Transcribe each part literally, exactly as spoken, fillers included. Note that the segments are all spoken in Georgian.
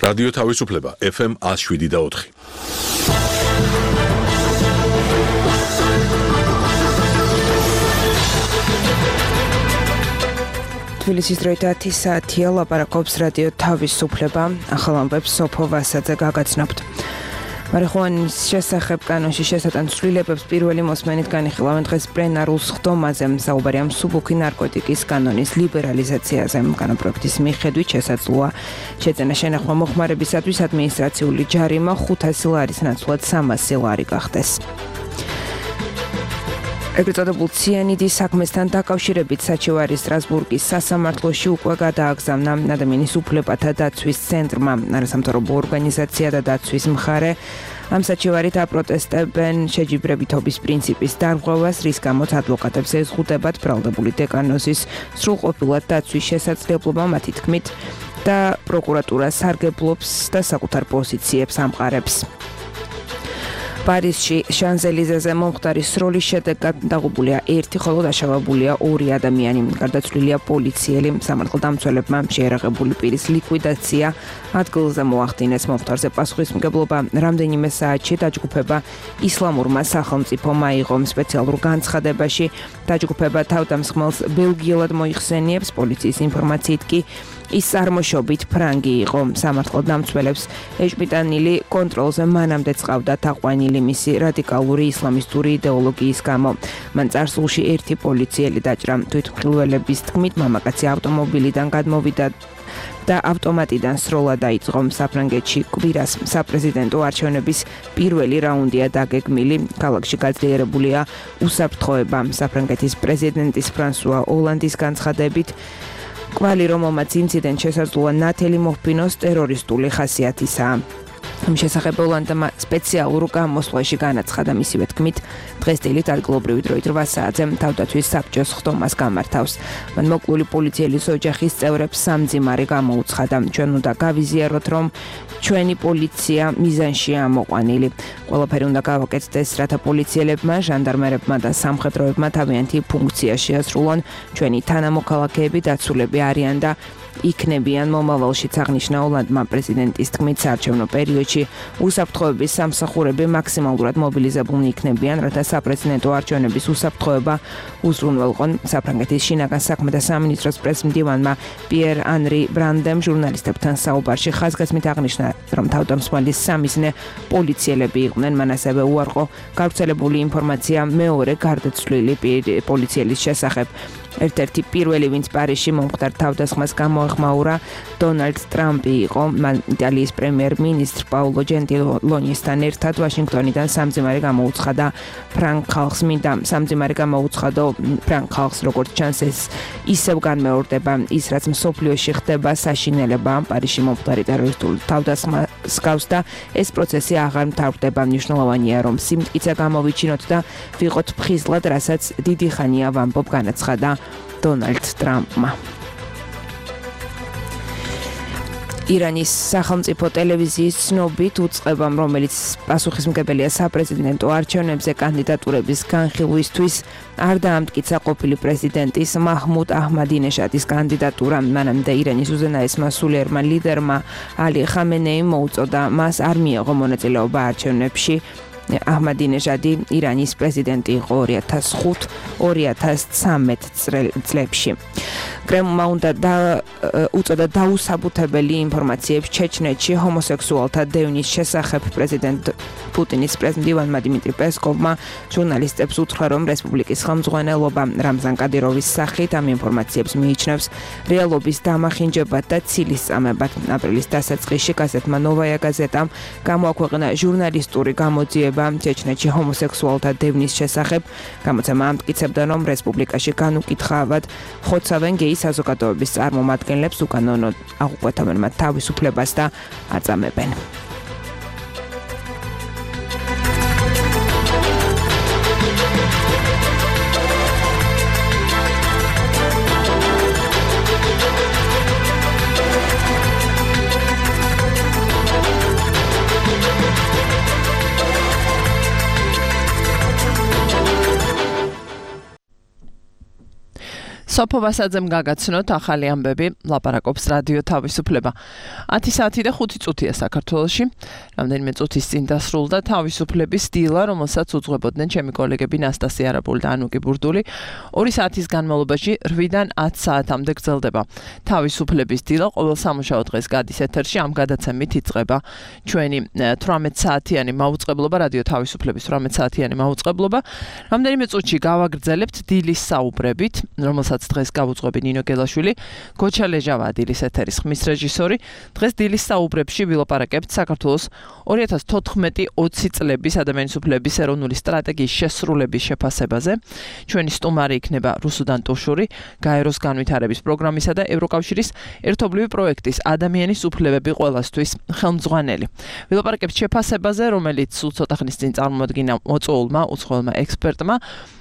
რადიო თავისუფლება ეფ ემ one oh seven და four. თბილისის დროით ათი საათია, ლაპარაკობს რადიო თავისუფლება, ახალ ამბებს სოფო ვასაძე გაგაცნობთ. მარიხუანის შესახებ კანონში შესატან ცვლილებებს პირველი მოსმენით განიხილავენ დღეს პლენარულ სხდომაზე. საუბარია მსუბუქი ნარკოტიკის კანონის ლიბერალიზაციაზე. კანონპროექტის მიხედვით შესაძლოა შეძენა შენახვა მოხმარებისათვის ადმინისტრაციული ჯარიმა ხუთასი ლარის ნაცვლად სამასი ლარი გახდეს. ეგრეთ წოდებულ ციანიდის საქმესთან დაკავშირებით საჩივარი სტრასბურგის სასამართლოში უკვე გადააგზავნა ადამიანის უფლებათა დაცვის ცენტრმა. არასამთავრობო ორგანიზაცია და დაცვის მხარე ამ საჩივარით აპროტესტებენ შეჯიბრებითობის პრინციპის დარღვევას, რის გამოც ადვოკატებს ეზღუდებათ ბრალდებული დეკანოზის სრულყოფილად დაცვის შესაძლებლობა მათი თქმით და პროკურატურა სარგებლობს და საკუთარ პოზიციებს ამყარებს. პარიზში შანზელიზეზე მომხდარი სროლის შედეგად დაღუპულია ერთი, ხოლო დაშავებულია ორი ადამიანი. გარდაცვლილია პოლიციელი. სამართალდამცველებმა შეერაღებული პირის ლიკვიდაცია ადგილზე მოახდინეს. მომხდარზე პასუხისმგებლობა რამდენიმე საათში დაჯგუფება ისლამურმა სახელმწიფომ აიღო. სპეციალურ განცხადებაში დაჯგუფება თავდამსხმელს ბელგიელად მოიხსენიებს. პოლიციის ინფორმაციით კი ის წარმოშობით ფრანგი იყო. სამართალდამცველებს ეჭვმიტანილი კონტროლზე მანამდე წავდა თაყვანილი მისი რადიკალური ისლამისტური იდეოლოგიის გამო. მან წარსულში ერთი პოლიციელი დაჭრა. თვითმხილველების თქმით, მამაკაცი ავტომობილიდან გადმოვიდა და ავტომატიდან სროლა დაიწყო. საფრანგეთში კვირას საპრეზიდენტო არჩევნების პირველი რაუნდია დაგეგმილი. ქალაქში გაძლიერებულია უსაფრთხოება. საფრანგეთის პრეზიდენტის ფრანსუა ოლანდის განცხადებით, კვალი რომელმაც ინციდენტ შესაძლოა ნათელი მოჰფინოს ტერორისტული ხასიათისაა. ამ შესახებ ოლანდმა სპეციალურ გამოსვლაში განაცხადა. მისივე თქმით, დღეს დილით ადგილობრივი დროით რვა საათზე თავდაცვის საბჭოს ხდომას გამართავს. მან მოკლული პოლიციელის ოჯახის წევრებს სამძიმარი გამოუცხადა. ჩვენ უნდა გავიზიაროთ, რომ ჩვენი პოლიცია მიზანშია ამოყვანილი. ყველაფერი უნდა გავაკეთდეს, რათა პოლიციელებმა, ჟანდარმერებმა და სამხედროებმა თავიანთი ფუნქცია შეასრულონ. ჩვენი თანამოქალაქეები დაცულები არიან და იქნებიან მომავალშიც, აღნიშნა ოლანდმა. პრეზიდენტის თქმით, საარჩევნო პერიოდში უსაფრთხოების სამსახურები მაქსიმალურად მობილიზებულნი იქნებიან, რათა საპრეზიდენტო არჩევნების უსაფრთხოება უზრუნველყონ. საფრანგეთის შინაგან საქმეთა სამინისტროს პრესმდივანმა პიერ ანრი ბრანდემ ჟურნალისტებთან საუბარში ხაზგასმით აღნიშნა, რომ თავდამსხმელის სამიზნე პოლიციელები იყვნენ. მან ასევე უარყო გავრცელებული ინფორმაცია მეორე გარდაცვლილი პოლიციელის შესახებ. ერთ-ერთი პირველი, ვინც პარიზში მომხდარ თავდასხმას გამოეხმაურა, დონალდ ტრამპი იყო. მან იტალიის პრემიერ-მინისტრ პაულო ჯენტილონისთან ერთად ვაშინგტონიდან სამძიმარი გამოუცხადა ფრანგ ხალხს. მინდა სამძიმარი გამოუცხადო ფრანგ ხალხს, როგორც ჩანს, ეს ისევ განმეორდება ის, რაც მსოფლიოში ხდება საშინელება. პარიზში მომხდარი ტერორისტული თავდასხმას გავს და ეს პროცესი აღარ მთავრდება. მნიშვნელოვანია, რომ სიმტკიცე გამოვიჩინოთ და ვიყოთ ფხიზლად, რასაც დიდი ხანია ვამბობ, განაცხადა დონალდ ტრამპმა. ირანის სახელმწიფო ტელევიზიის ცნობით უწყებამ, რომელიც პასუხისმგებელია საპრეზიდენტო არჩევნებზე კანდიდატურების განხილვისთვის, არ დაამტკიცა ყოფილი პრეზიდენტის მაჰმუდ აჰმადინეჟადის კანდიდატურა. მანამდე ირანის უზენაესმა სულიერმა ლიდერმა ალი ხამენეიმ მოუწოდა მას არ მიეღო მონაწილეობა არჩევნებში. აჰმადინეჟადი ირანის პრეზიდენტი იყო ორი ათას ხუთ ორი ათას ცამეტ წლებში. კრემლმა უნდა უწოდა დაუსაბუთებელი ინფორმაციებს ჩეჩნეთში ჰომოსექსუალთა დევნის შესახებ. პრეზიდენტ პუტინის პრეზიდენტმა დიმიტრი პესკოვმა ჟურნალისტებს უთხრა, რომ რესპუბლიკის ხელმძღვანელობა რამზან კადიროვის სახით ამ ინფორმაციებს მიიჩნევს რეალობის დამახინჯებად და ცილისწამებად. აპრილის დასაწყისში გაზეთმა ნოვაია გაზეტამ გამოაქვეყნა ჟურნალისტური გამოძიება ჩეჩნეთში ჰომოსექსუალთა დევნის შესახებ. გამოცემა ამტკიცებდა, რომ რესპუბლიკაში განუკითხავად ხოცავენ გეი საზოგადოების წარმომადგენლებს, უკანონოდ აღუკვეთავენ მათ თავისუფლებას და აწამებენ. სოფო ვასაძემ გაგაცნოთ ახალი ამბები, ლაპარაკობს რადიო თავისუფლება. ათი საათი და ხუთი წუთია საქართველოში. რამდენიმე წუთის წინ დასრულდა თავისუფლების დილა, რომელსაც უძღვებოდნენ ჩემი კოლეგები ნასტასია არაბული და ანუკი ბურდული. ორი საათის განმავლობაში რვიდან ათ საათამდე გრძელდება თავისუფლების დილა. ყოველ სამუშაო დღეს გადის ეთერში, ამ გადაცემით იწყება ჩვენი თვრამეტ საათიანი მაუწყებლობა, რადიო თავისუფლების თვრამეტ საათიანი მაუწყებლობა. რამდენიმე წუთში გავაგრძელებთ დილის საუბრებით, რომელსაც დღეს გავუძღვები ნინო გელაშვილი, გოჩა ლეჟავა დილის ეთერის ხმის რეჟისორი. დღეს დილის საუბრებში ვილაპარაკებთ საქართველოს ორი ათას თოთხმეტი ოცი წლების ადამიანის უფლებების ეროვნული სტრატეგიის შესრულების შეფასებაზე. ჩვენი სტუმარი იქნება რუსუდან ტუშური, გაეროს განვითარების პროგრამისა და ევროკავშირის ერთობლივი პროექტის ადამიანის უფლებები ყველასთვის ხელმძღვანელი. ვილაპარაკებთ შეფასებაზე, რომელიც სულ ცოტა ხნის წინ წარმოადგინა მოწვეულმა უცხოელმა ექსპერტმა.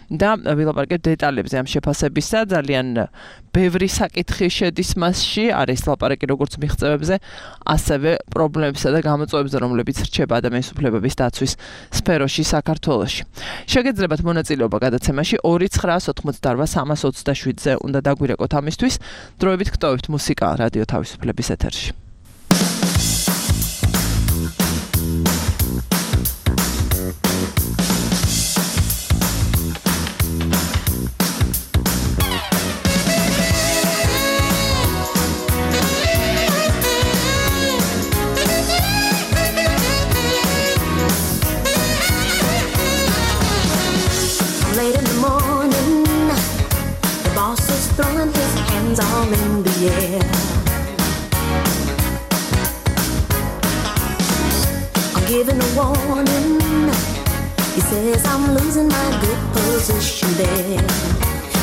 და ვილაპარაკებთ დეტალებზე ამ შეფასებისა, ძალიან ბევრი საკითხი შედის მასში, არის ლაპარაკი როგორც მიღწევებზე, ასევე პრობლემებსა და გამოწვევებზე, რომლებიც რჩება ადამიანის უფლებების დაცვის სფეროში საქართველოში. შეგეძლებათ მონაწილეობა გადაცემაში ორი ცხრაას ოთხმოცდაორ სამას ოცდაშვიდზე უნდა დაგვირეკოთ ამისთვის. დროებით გტოვებთ მუსიკა რადიო თავისუფლების ეთერში. Throwing his hands all in the air. I'm giving a warning. He says I'm losing my good position there.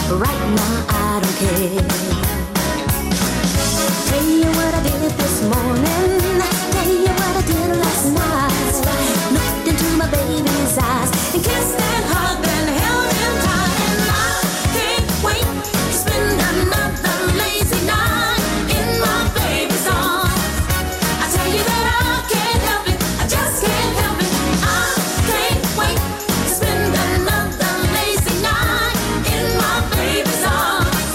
But right now I don't care. Tell you what I did this morning. Tell you what I did last night. Looked into my baby's eyes and kissed and hugged and held him tight. And I can't wait. Another lazy night in my baby's arms. I tell you that I can't help it, I just can't help it. I can't wait to spend another lazy night in my baby's arms.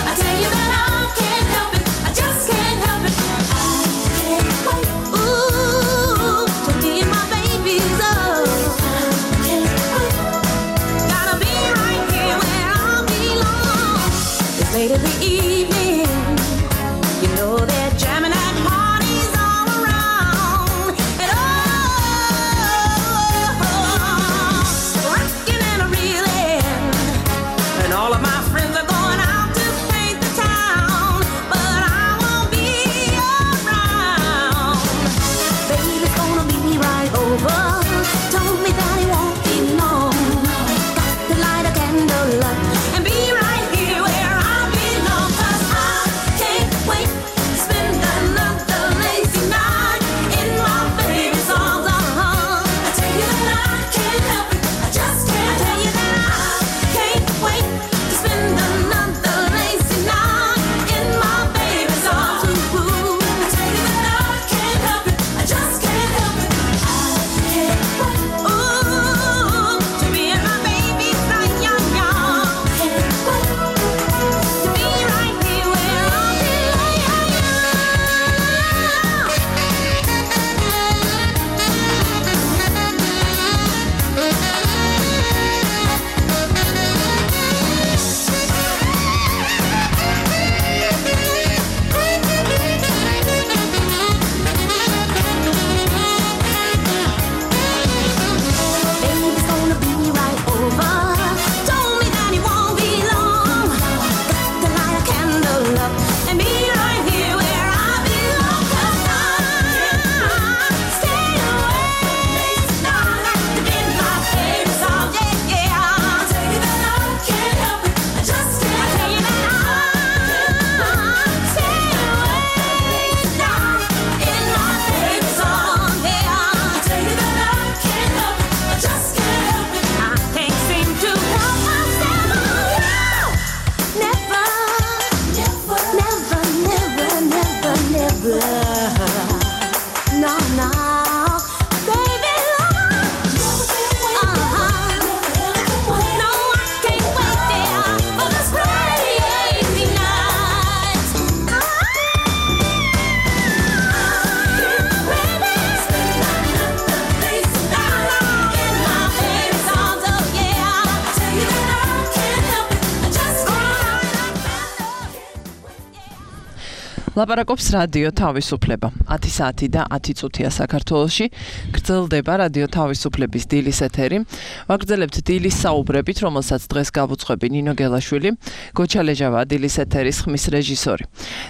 I tell you that I can't help it, I just can't help it. I can't wait, ooh, ლაპარაკობს რადიო თავისუფლება. ათი საათი და ათი წუთია საქართველოში. გრძელდება რადიო თავისუფლების დილის ეთერი. ვაგრძელებთ დილის საუბრებით, რომელსაც დღეს გავუძღვები ნინო გელაშვილი, გოჩა ლეჟავა დილის ეთერის ხმის რეჟისორი.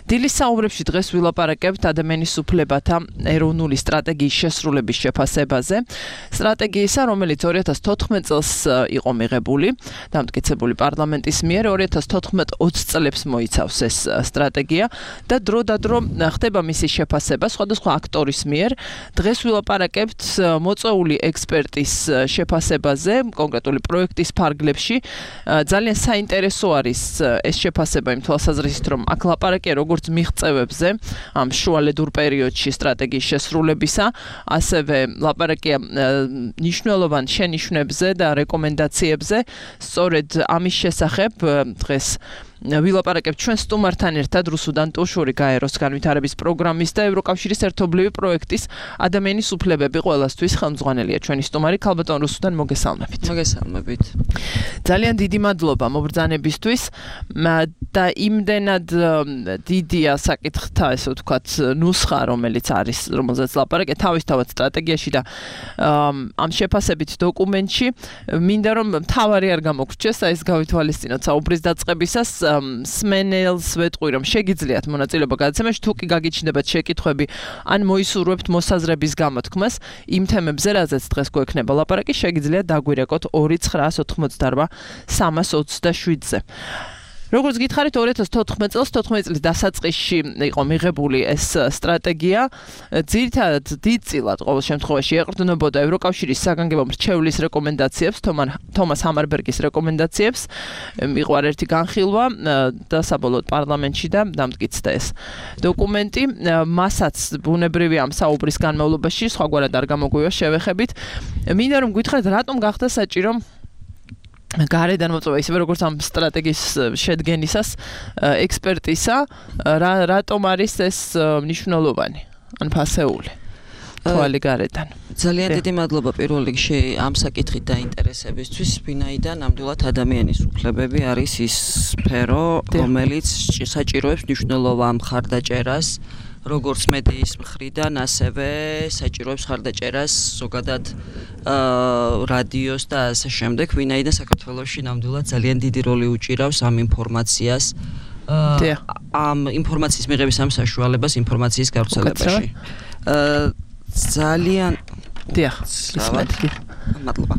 დილის საუბრებში დღეს ვილაპარაკებთ ადამიანის უფლებათა ეროვნული სტრატეგიის შესრულების შეფასებაზე. სტრატეგიისა, რომელიც ორი ათას თოთხმეტ წელს იყო მიღებული, დამტკიცებული პარლამენტის მიერ ორი ათას თოთხმეტ ოცი წლებს მოიცავს ეს სტრატეგია და დრო და დრო ხდება მისი შეფასება სხვადასხვა აქტორის მიერ. დღეს ვილაპარაკებთ მოწვეული ექსპერტის შეფასებაზე, კონკრეტული პროექტის ფარგლებში. ძალიან საინტერესო არის ეს შეფასება იმ თვალსაზრისით, რომ აქ ლაპარაკია როგორც მიღწევებზე ამ შუალედურ პერიოდში სტრატეგიის შესრულებისა, ასევე ლაპარაკია მნიშვნელოვან შენიშვნებზე და რეკომენდაციებზე. სწორედ ამის შესახებ დღეს ვილაპარაკებთ ჩვენ სტუმართან ერთად რუსუდან ტუშური გაეროს განვითარების პროგრამის და ევროკავშირის ერთობლივი პროექტის ადამიანის უფლებები ყველასთვის ხელმძღვანელია ჩვენი სტუმარი ქალბატონ რუსუდან მოგესალმებით. მოგესალმებით. ძალიან დიდი მადლობა მობრძანებისთვის და იმდენად დიდია საკითხთა ესე ვთქვათ ნუსხა რომელიც არის რომელზეც ლაპარაკია თავისთავად სტრატეგიაში და ამ შეფასებით დოკუმენტში მინდა რომ მთავარი არ გამოგრჩეს აი ეს გავითვალისწინოთ საუბრის დაწყებისას სმენელს ვეტყვი რომ შეგიძლიათ მონაწილეობა გადაცემაში თუ კი გაგიჩნდებათ შეკითხვები ან მოისურვებთ მოსაზრების გამოთქმას იმ თემებზე რაზეც დღეს გვექნება ლაპარაკი შეგიძლიათ დაგვირეკოთ ორი ცხრაას ოცდაოთხ სამას ოცდაშვიდზე. როგორც გითხარით ორი ათას თოთხმეტ წელს თოთხმეტ წლის დასაწყისში იყო მიღებული ეს სტრატეგია. ძირითადად დიდწილად ყოველ შემთხვევაში ეყრდნობოდა ევროკავშირის საგანგებო მრჩევლის რეკომენდაციებს, თომას ჰამარბერგის რეკომენდაციებს. იყო ერთი განხილვა და საბოლოოდ პარლამენტში და დამტკიცდა ეს დოკუმენტი. მასაც ბუნებრივია ამ საუბრის განმავლობაში სხვაგვარად არ გამოგვივა შევეხებით. მინდა რომ გითხრათ რატომ გახდა საჭირო გარედან მოწვევა ისევე როგორც ამ სტრატეგიის შედგენისას ექსპერტისა, რატომ არის ეს მნიშვნელოვანი ან ფასეული თვალი გარედან. ძალიან დიდი მადლობა პირველ რიგში ამ საკითხით დაინტერესებისთვის, ვინაიდან ნამდვილად ადამიანის უფლებები არის ის სფერო, რომელიც საჭიროებს მნიშვნელოვან მხარდაჭერას როგორც მედიის მხრიდან, ასევე საჭიროებს მხარდაჭერას ზოგადად რადიოს და ასე შემდეგ, ვინაიდან საქართველოში ნამდვილად ძალიან დიდი როლი უჭირავს ამ ინფორმაციას, ამ ინფორმაციის მიღების ამ საშუალებას ინფორმაციის გავრცელებაში. ძალიან დიახ, ისმეთგი. მადლობა.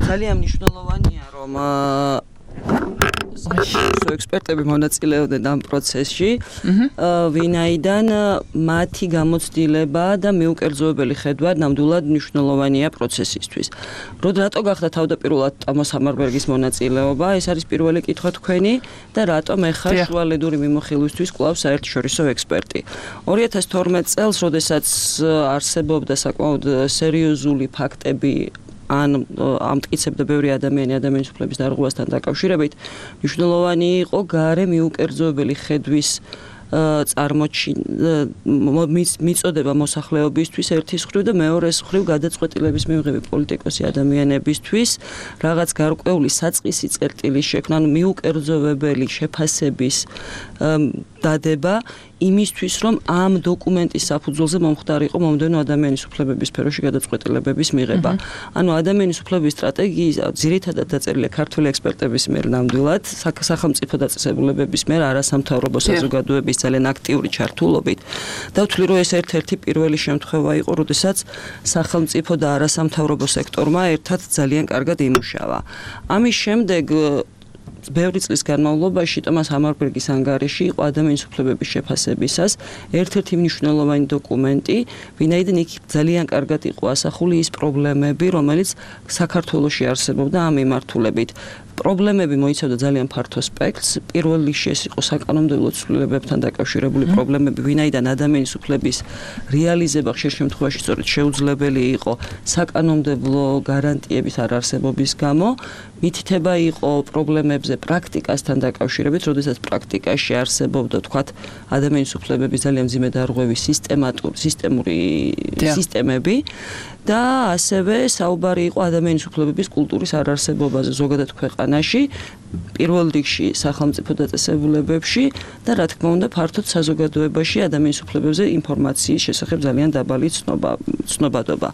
ძალიან მნიშვნელოვანია რომ საერთო ექსპერტები მონაწილეობდნენ ამ პროცესში, ვინაიდან მათი გამოცდილება და მიუკერძოებელი ხედვა ნამდვილად მნიშვნელოვანია პროცესისთვის. რატო გახდა თავდაპირველად ტომას ჰამარბერგის მონაწილეობა? ეს არის პირველი კითხვა თქვენი და რატომ ეხლა შუალედური მიმოხილვისთვის კვლავ საერთაშორისო ექსპერტი? ორი ათას თორმეტ წელს, როდესაც არსებობდა საკმაოდ სერიოზული ფაქტები ან ამტკიცებდა ბევრი ადამიანი ადამიანის უფლების დარღვევასთან დაკავშირებით, მნიშვნელოვანი იყო გარე მიუკერძოებელი ხედვის წარმოჩინა მიწოდება მოსახლეობისთვის ერთის მხრივ და მეორეს მხრივ გადაწყვეტილების მიღები პოლიტიკოსი ადამიანებისთვის რაღაც გარკვეული საწყისი წერტილის შექმნა, ანუ მიუკერძოვებელი შეფასების დადება იმისთვის, რომ ამ დოკუმენტის საფუძველზე მომხდარიყო მომდევნო ადამიანის უფლებების სფეროში გადაწყვეტილებების მიღება. ანუ ადამიანის უფლებების სტრატეგია ძირითადად დაწერილია ქართული ექსპერტების მიერ ნამდვილად, სახელმწიფო დაწესებულებების მიერ, არასამთავრობო საზოგადოების ძალიან აქტიური ჩართულობით. დავთვლი, რომ ეს ერთ-ერთი პირველი შემთხვევა იყო, როდესაც სახელმწიფო და არასამთავრობო სექტორმა ერთად ძალიან კარგად იმუშავა. ამის შემდეგ ბევრი წლის განმავლობაში ტომას ჰამარბერგის ანგარიში იყო ადამიანის უფლებების შეფასებისას ერთ-ერთი მნიშვნელოვანი დოკუმენტი, ვინაიდან იქ ძალიან კარგად იყო ასახული ის პრობლემები, რომელიც საქართველოში არსებობდა ამ მიმართულებით. პრობლემები მოიცავდა ძალიან ფართო სპექტრს. პირველ რიგში ეს იყო საკანონმდებლო ცვლილებებთან დაკავშირებული პრობლემები, ვინაიდან ადამიანის უფლების რეალიზება ხშირ შემთხვევაში სწორედ შეუძლებელი იყო საკანონმდებლო გარანტიების არარსებობის გამო. მითითება იყო პრობლემებზე პრაქტიკასთან დაკავშირებით, როდესაც პრაქტიკაში არსებობდა, თქვათ, ადამიანის უფლებების ძალიან მძიმე დარღვევის სისტემატური სისტემური სისტემები და ასევე საუბარი იყო ადამიანის უფლებების კულტურის არარსებობაზე ზოგადად ქვეყანაში, პირველ რიგში სახელმწიფო დაწესებულებებში და რა თქმა უნდა ფართოდ საზოგადოებაში ადამიანის უფლებებზე ინფორმაციის შესახებ ძალიან დაბალი ცნობა, ცნობადობა.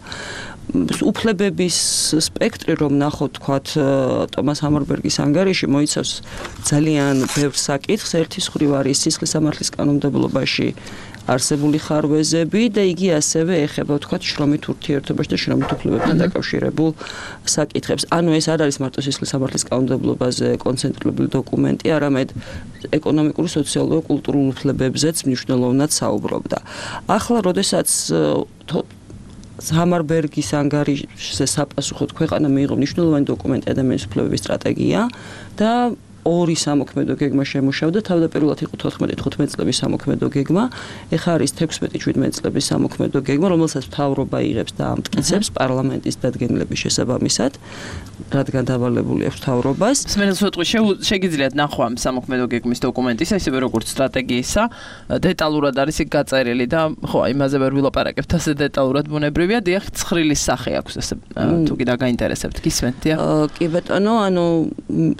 უფლებების სპექტრი რომ ნახოთ თქვათ ტომას ჰამარბერგის ანგარიში მოიცავს ძალიან ბევრ საკითხს, ერთის მხრივ არის სისხლის სამართლის კანონმდებლობაში არსებული ხარვეზები და იგი ასევე ეხება თქვათ შრომით ურთიერთობაში და შრომით უფლებებთან დაკავშირებულ საკითხებს. ანუ ეს არ არის მარტო სისხლის სამართლის კანონმდებლობაზე კონცენტრირებული დოკუმენტი, არამედ ეკონომიკური, სოციალურ, კულტურულ უფლებებზეც მნიშვნელოვნად საუბრობდა. ახლა როდესაც ჰამარბერგის ანგარიშზე საპასუხოდ ქვეყანა მიიღო მნიშვნელოვანი დოკუმენტი ადამიანის უფლებების სტრატეგია და ორი სამოქმედო გეგმა შემუშავდა, თავდაპირველად იყო თოთხმეტი თხუთმეტი წლების სამოქმედო გეგმა, ეხლა არის თექვსმეტი შვიდმეტი წლების სამოქმედო გეგმა, რომელსაც მთავრობა იღებს და ამტკიცებს პარლამენტის დადგენილების შესაბამისად, რადგან დავალებული აქვს მთავრობას. სმენელს ვეტყვი, შეგიძლიათ ნახვა ამ სამოქმედო გეგმის დოკუმენტის, ისევე როგორც სტრატეგიისა, დეტალურად არის იქ გაწერილი და ხო, იმაზე ვერ ვილაპარაკებთ, ასე დეტალურად ბუნებრივია, დიახ, ცხრილის სახე აქვს ესე, თუ კიდე გაინტერესებთ, გისმენთ, დიახ? კი ბატონო, ანუ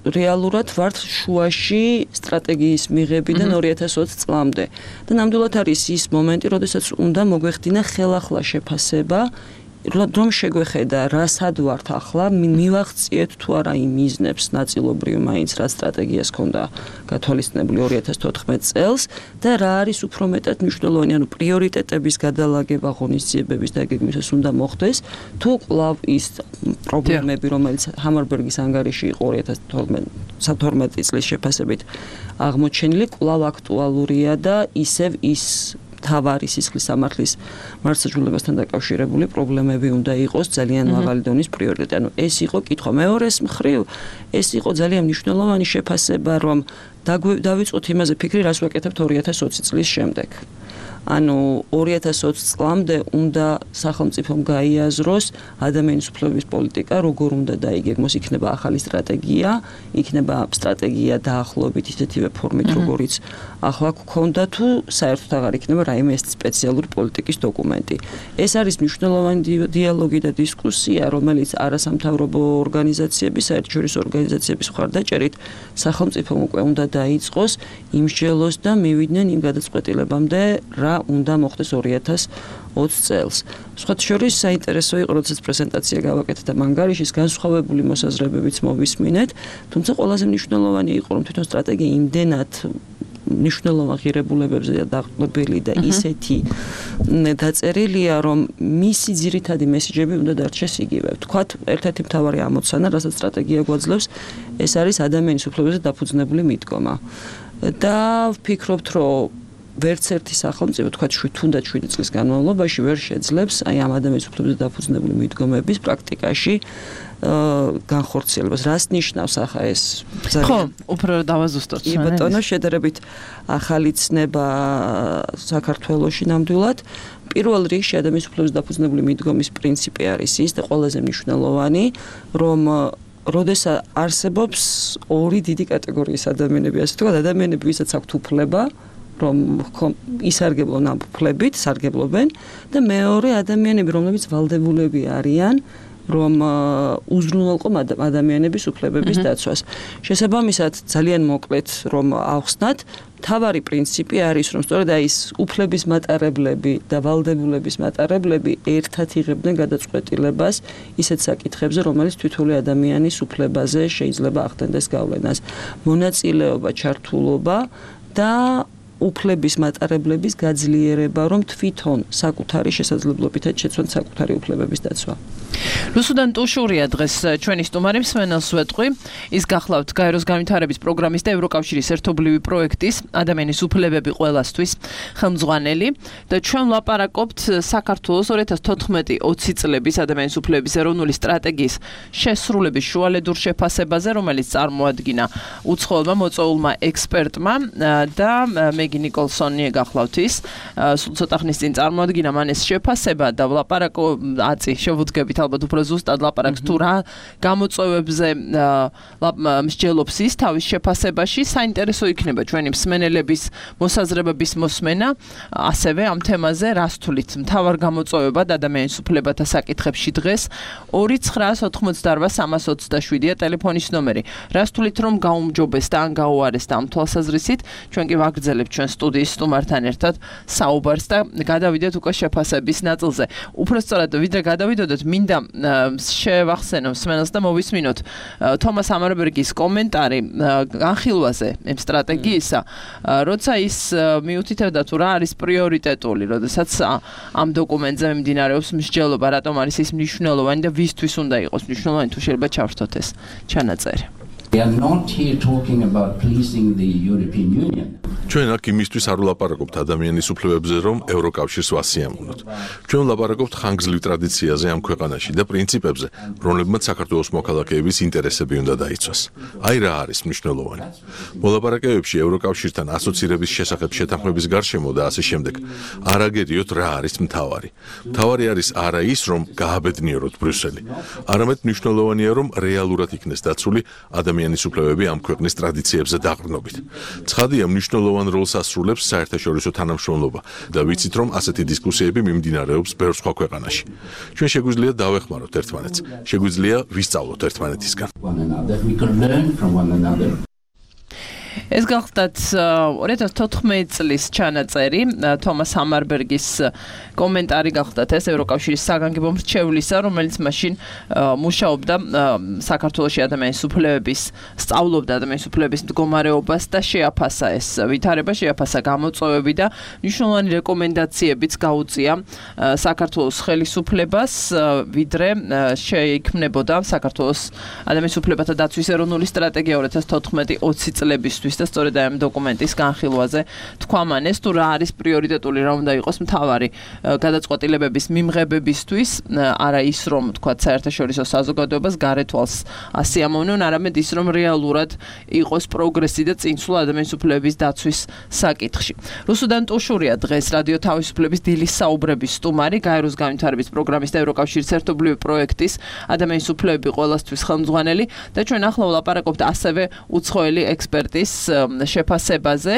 რეალურად ვართ შუაში სტრატეგიის მიღებიდან ორი ათას ოცი წლამდე. და ნამდვილად არის ის მომენტი, როდესაც უნდა მოგვეხდინა ხელახლა შეფასება, რომ შეგვეხედა, რასად ვართ ახლა, მივახციეთ თუ არა იმ მიზნებს ნაწილობრივ მაინც რა სტრატეგიას ჰქონდა გათვალისწინებული ორი ათას თოთხმეტ წელს და რა არის უფრო მეტად მნიშვნელოვანი, ანუ პრიორიტეტების გადალაგება ღონისძიებების დაგეგმვისას უნდა მოხდეს, თუ კვლავ ის პრობლემები, რომელიც ჰამარბერგის ანგარიში იყო ორი ათას თორმეტი წლის შეფასებით აღმოჩენილი, კვლავ აქტუალურია და ისევ ის თავარი სისხლის სამართლის მართლმსაჯულებასთან დაკავშირებული პრობლემები უნდა იყოს ძალიან მაღალი დონის პრიორიტეტი. ანუ ეს იყო კითხვა. მეორეს მხრივ, ეს იყო ძალიან მნიშვნელოვანი შეფასება, რომ დავიწყოთ იმაზე ფიქრი, რას ვაკეთებთ ორი ათას ოცი წლის შემდეგ. ანუ ორი ათას ოცი წლამდე უნდა სახელმწიფომ გაიაზროს ადამიანის უფლებების პოლიტიკა, როგორ უნდა დაიგეგმოს, იქნება ახალი სტრატეგია, იქნება სტრატეგია დაახლოებით ისეთივე ფორმით, როგორიც ახლა გქონდა, თუ საერთოდ აღარ იქნება რაიმე ეს სპეციალური პოლიტიკის დოკუმენტი. ეს არის მნიშვნელოვანი დიალოგი და დისკუსია, რომელიც არასამთავრობო ორგანიზაციების, საერთაშორისო ორგანიზაციების მხარდაჭერით სახელმწიფომ უკვე უნდა დაიწყოს, იმსჯელოს და მივიდნენ იმ გადაწყვეტილებამდე, რა უნდა მოხდეს ორი ათას ოცი წელს. სხვათა შორის საინტერესო იყო, როდესაც პრეზენტაცია გავაკეთეთ ამ ანგარიშის, განსხვავებული მოსაზრებებიც მოვისმინეთ, თუმცა ყველაზე მნიშვნელოვანი იყო, რომ თვითონ სტრატეგია იმდენად მნიშვნელოვან ღირებულებებზე დაყრდნობილი და ისეთი დაწერილია, რომ მისი ძირითადი მესიჯები უნდა დარჩეს იგივე. ვთქვათ, ერთ-ერთი მთავარი ამოცანა, რასაც სტრატეგია გვაძლევს, ეს არის ადამიანის უფლებებზე დაფუძნებული მიდგომა. და ვფიქრობთ, რომ ვერც ერთი სახელმწიფო, თქვათ, თუნდაც შვიდი წლის განმავლობაში ვერ შეძლებს აი ამ ადამიანის უფლებებზე დაფუძნებული მიდგომების პრაქტიკაში განხორციელებას. რას ნიშნავს ახლა ეს? ხო, უფრო დავაზუსტოთ. კი ბატონო, შედარებით ახალი ცნება საქართველოში ნამდვილად. პირველ რიგში ადამიანის უფლებებზე დაფუძნებული მიდგომის პრინციპი არის ის და ყველაზე მნიშვნელოვანი, რომ როდესაც არსებობს ორი დიდი კატეგორიის ადამიანები, ასე ვთქვათ, ადამიანები, ვისაც აქვთ უფლება, რომ ისარგებლონ ამ უფლებით, სარგებლობენ და მეორე ადამიანები, რომლებიც ვალდებულები არიან, რომ უზრუნველყო ადამიანების უფლებების დაცვას. შესაბამისად, ძალიან მოკლედ რომ ავხსნათ, თავარი პრინციპი არის, რომ სწორედ აი ეს უფლების მატარებლები და ვალდებულების მატარებლები ერთად იღებდნენ გადაწყვეტილებას ისეთ საკითხებზე, რომელიც თითოეული ადამიანის უფლებაზე შეიძლება ახდენდეს გავლენას. მონაწილეობა, ჩართულობა და უფლების მატარებლების გაძლიერება, რომ თვითონ საკუთარი შესაძლებლობითაც შეცვალონ საკუთარი უფლებების დაცვა. რუსუდან ტუშურია დღეს ჩვენი სტუმარი, მსმენელს ვეტყვი. ის გახლავთ გაეროს განვითარების პროგრამის და ევროკავშირის ერთობლივი პროექტის ადამიანის უფლებები ყველასთვის ხელმძღვანელი და ჩვენ ვლაპარაკობთ საქართველოს ორი ათას თოთხმეტი ოცი წლების ადამიანის უფლებების ეროვნული სტრატეგიის შესრულების შუალედურ შეფასებაზე, რომელიც წარმოადგინა უცხოელმა მოწვეულმა ექსპერტმა და მე მეგი ნიკოლსონი გახლავთ ის. სულ ცოტა ხნის წინ წარმოადგინა მან ეს შეფასება და ვლაპარაკო აწი შევუდგებით ალბათ უფრო ზუსტად ლაპარაკს თუ რა გამოწვევებზე მსჯელობს ის თავის შეფასებაში. საინტერესო იქნება ჩვენი მსმენელების მოსაზრებების მოსმენა ასევე ამ თემაზე რას თulit მთავარ გამოწვევებად ადამიანის უფლებათა საკითხებში დღეს ორი ცხრაას ოთხმოცდაორვა სამას ოცდაშვიდია ტელეფონის ნომერი. რას თulit რომ გაუმჯობეს და ან გაუარეს და ამ თვალსაზრისით ჩვენ კი ვაგრძელებთ ჩვენ სტუდიის სტუმართან ერთად საუბარს და გადავიდეთ უკვე შეფასების ნაწილზე. უფრო სწორად ვიდრე გადავიდოდეთ მინდა შევახსენო მსმენელს და მოვისმინოთ თომას ამარბერგის კომენტარი განხილვაზე ამ სტრატეგიისა, როცა ის მიუთითებდა თუ რა არის პრიორიტეტული, როდესაც ამ დოკუმენტზე მიმდინარეობს მსჯელობა, რატომ არის ის მნიშვნელოვანი და ვისთვის უნდა იყოს მნიშვნელოვანი, თუ შეიძლება ჩავრთოთ ეს ჩანაწერი. We are not here talking about pleasing the European Union. ჩვენ აქ იმისთვის არ ვლაპარაკობთ ადამიანის უფლებებზე, რომ ევროკავშირს ვასიამოვნოთ. ჩვენ ვლაპარაკობთ ხანგრძლივ ტრადიციაზე ამ ქვეყანაში და პრინციპებზე, რომლებმაც საქართველოს მოქალაქეების ინტერესები უნდა დაიცვას. აი რა არის მნიშვნელოვანი. მოლაპარაკებებში ევროკავშირთან ასოცირების შესახებ შეთანხმების გარშემო და ასე შემდეგ არ აგერიოთ რა არის მთავარი. მთავარი არის არა ის, რომ გააბედნიეროთ ბრიუსელი, არამედ მნიშვნელოვანია, რომ რეალურად იქნეს დაცული ადამიანის უფლებები ამ ქვეყნის ტრადიციებზე დაყრდნობით. ცხადია, მნიშვნელოვანი როლს ასრულებს საერთაშორისო თანამშრომლობა და ვიცით, რომ ასეთი დისკუსიები მიმდინარეობს ბევრ სხვა ქვეყანაში. ჩვენ შეგვიძლია დავეხმაროთ ერთმანეთს, შეგვიძლია ვისწავლოთ ერთმანეთისგან. One another. We can learn from one another. ეს გახლდათ ორი ათას თოთხმეტი წლის ჩანაწერი თომას ამარბერგის კომენტარი გახლდათ ეს ევროკავშირის საგანგებო მრჩევლისა, რომელიც მაშინ მუშაობდა საქართველოში ადამიანის უფლებების სწავლობდა ადამიანის უფლებების მდგომარეობას და შეაფასა ეს ვითარება, შეაფასა გამოწვევები და მნიშვნელოვანი რეკომენდაციებიც გაუწია საქართველოს ხელისუფლებას, ვიდრე შეიქმნებოდა საქართველოს ადამიანის უფლებათა დაცვის ეროვნული სტრატეგია ორი ათას თოთხმეტი ოცი წლებისთვის და სწორედ ამ დოკუმენტის განხილვაზე თქვა მან ეს თუ რა არის პრიორიტეტული, რა უნდა იყოს მთავარი გადაწყვეტილებების მიმღებებისთვის, არა ის რომ თქვა საერთაშორისო საზოგადოებას გარეთვალს ასიამოვნონ, არამედ ის რომ რეალურად იყოს პროგრესი და წინსვლა ადამიანის უფლებების დაცვის საკითხში. რუსუდან ტუშურია დღეს რადიო თავისუფლების დილის საუბრების სტუმარი, გაეროს განვითარების პროგრამის და ევროკავშირის ერთობლივი პროექტის ადამიანის უფლებები ყველასთვის ხელმძღვანელი და ჩვენ ახლა ვლაპარაკობთ ასევე უცხოელი ექსპერტის შეფასებაზე.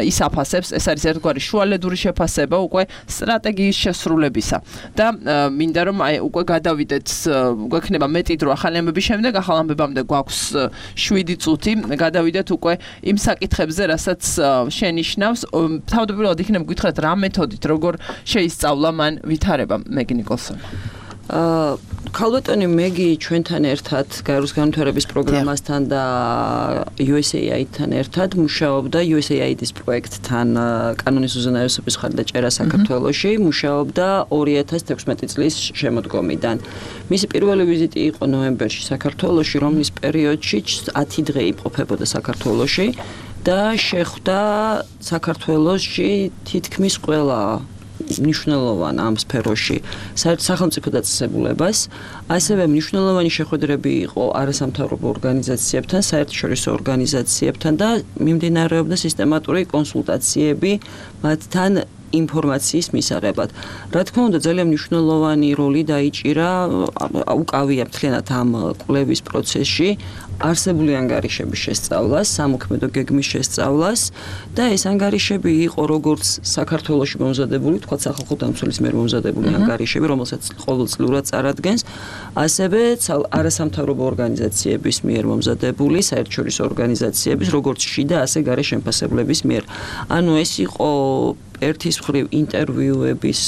ის აფასებს, ეს არის ერთგვარი შუალედური შეფასება უკვე სტრატეგიის შესრულებისა და მინდა რომ აი უკვე გადავიდეთ, გვექნება მეტი დრო ახალი ამბების შემდეგ, ახალ ამბებამდე გვაქვს შვიდი წუთი, გადავიდეთ უკვე იმ საკითხებზე, რასაც შენიშნავს. თავდაპირველად იქნება გითხრათ რა მეთოდით, როგორ შეისწავლა მან ვითარება, მეგი ნიკოლსონი. აა ქალბატონი მეგი ჩვენთან ერთად გაეროს განვითარების პროგრამასთან და U S A I D-თან ერთად მუშაობდა U S A I D-ის პროექტთან კანონის უზენაესობის მხარდაჭერა საქართველოში, მუშაობდა ორი ათას თექვსმეტი წლის შემოდგომიდან. მისი პირველი ვიზიტი იყო ნოემბერში საქართველოში, რომლის პერიოდში ათი დღე იმყოფებოდა საქართველოში და შეხვდა საქართველოში თითქმის ყველა მნიშვნელოვან ამ სფეროში სახელმწიფო დაწესებულებას, ასევე მნიშვნელოვანი შეხვედრები იყო არასამთავრობო ორგანიზაციებთან, საერთაშორისო ორგანიზაციებთან და მიმდინარეობდა სისტემატური კონსულტაციები მათთან ინფორმაციის მისაღებად. რა თქმა უნდა, ძალიან მნიშვნელოვანი როლი დაიჭირა უკავია მთლიანად ამ კვლევის პროცესში არსებული ანგარიშების შესწავლას, სამოქმედო გეგმის შესწავლას და ეს ანგარიშები იყო როგორც საქართველოში მომზადებული, თქვა სახალხო დამცველის მიერ მომზადებული ანგარიშები, რომელსაც ყოველწლიურად წარადგენს, ასევე არასამთავრობო ორგანიზაციების მიერ მომზადებული, საერთაშორისო ორგანიზაციების, როგორც შიდა, ასე გარე შემფასებლების მიერ. ანუ ეს იყო ერთის მხრივ ინტერვიუების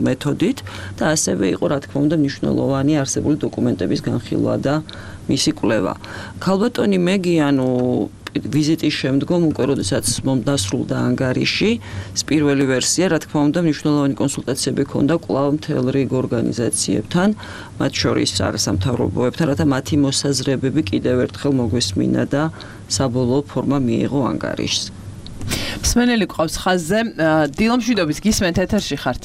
მეთოდით და ასევე იყო, რა თქმა უნდა, მნიშვნელოვანი არსებული დოკუმენტების განხილვა და მისი კვლევა. ქალბატონი მეგი, ანუ ვიზიტის შემდგომ უკვე როდესაც მომდასრულდა ანგარიში, პირველი ვერსია, რა თქმა უნდა, მნიშვნელოვანი კონსულტაციები ჰქონდა კვლავ მთელ რიგ ორგანიზაციებთან, მათ შორის არასამთავრობოებთან, რათა მათი მოსაზრებები კიდევ ერთხელ მოგვესმინა და საბოლოო ფორმა მიიღო ანგარიშს. მსმენელი ყავს ხაზზე, დილომშვიდობის გისმენთ, ეთერში ხართ.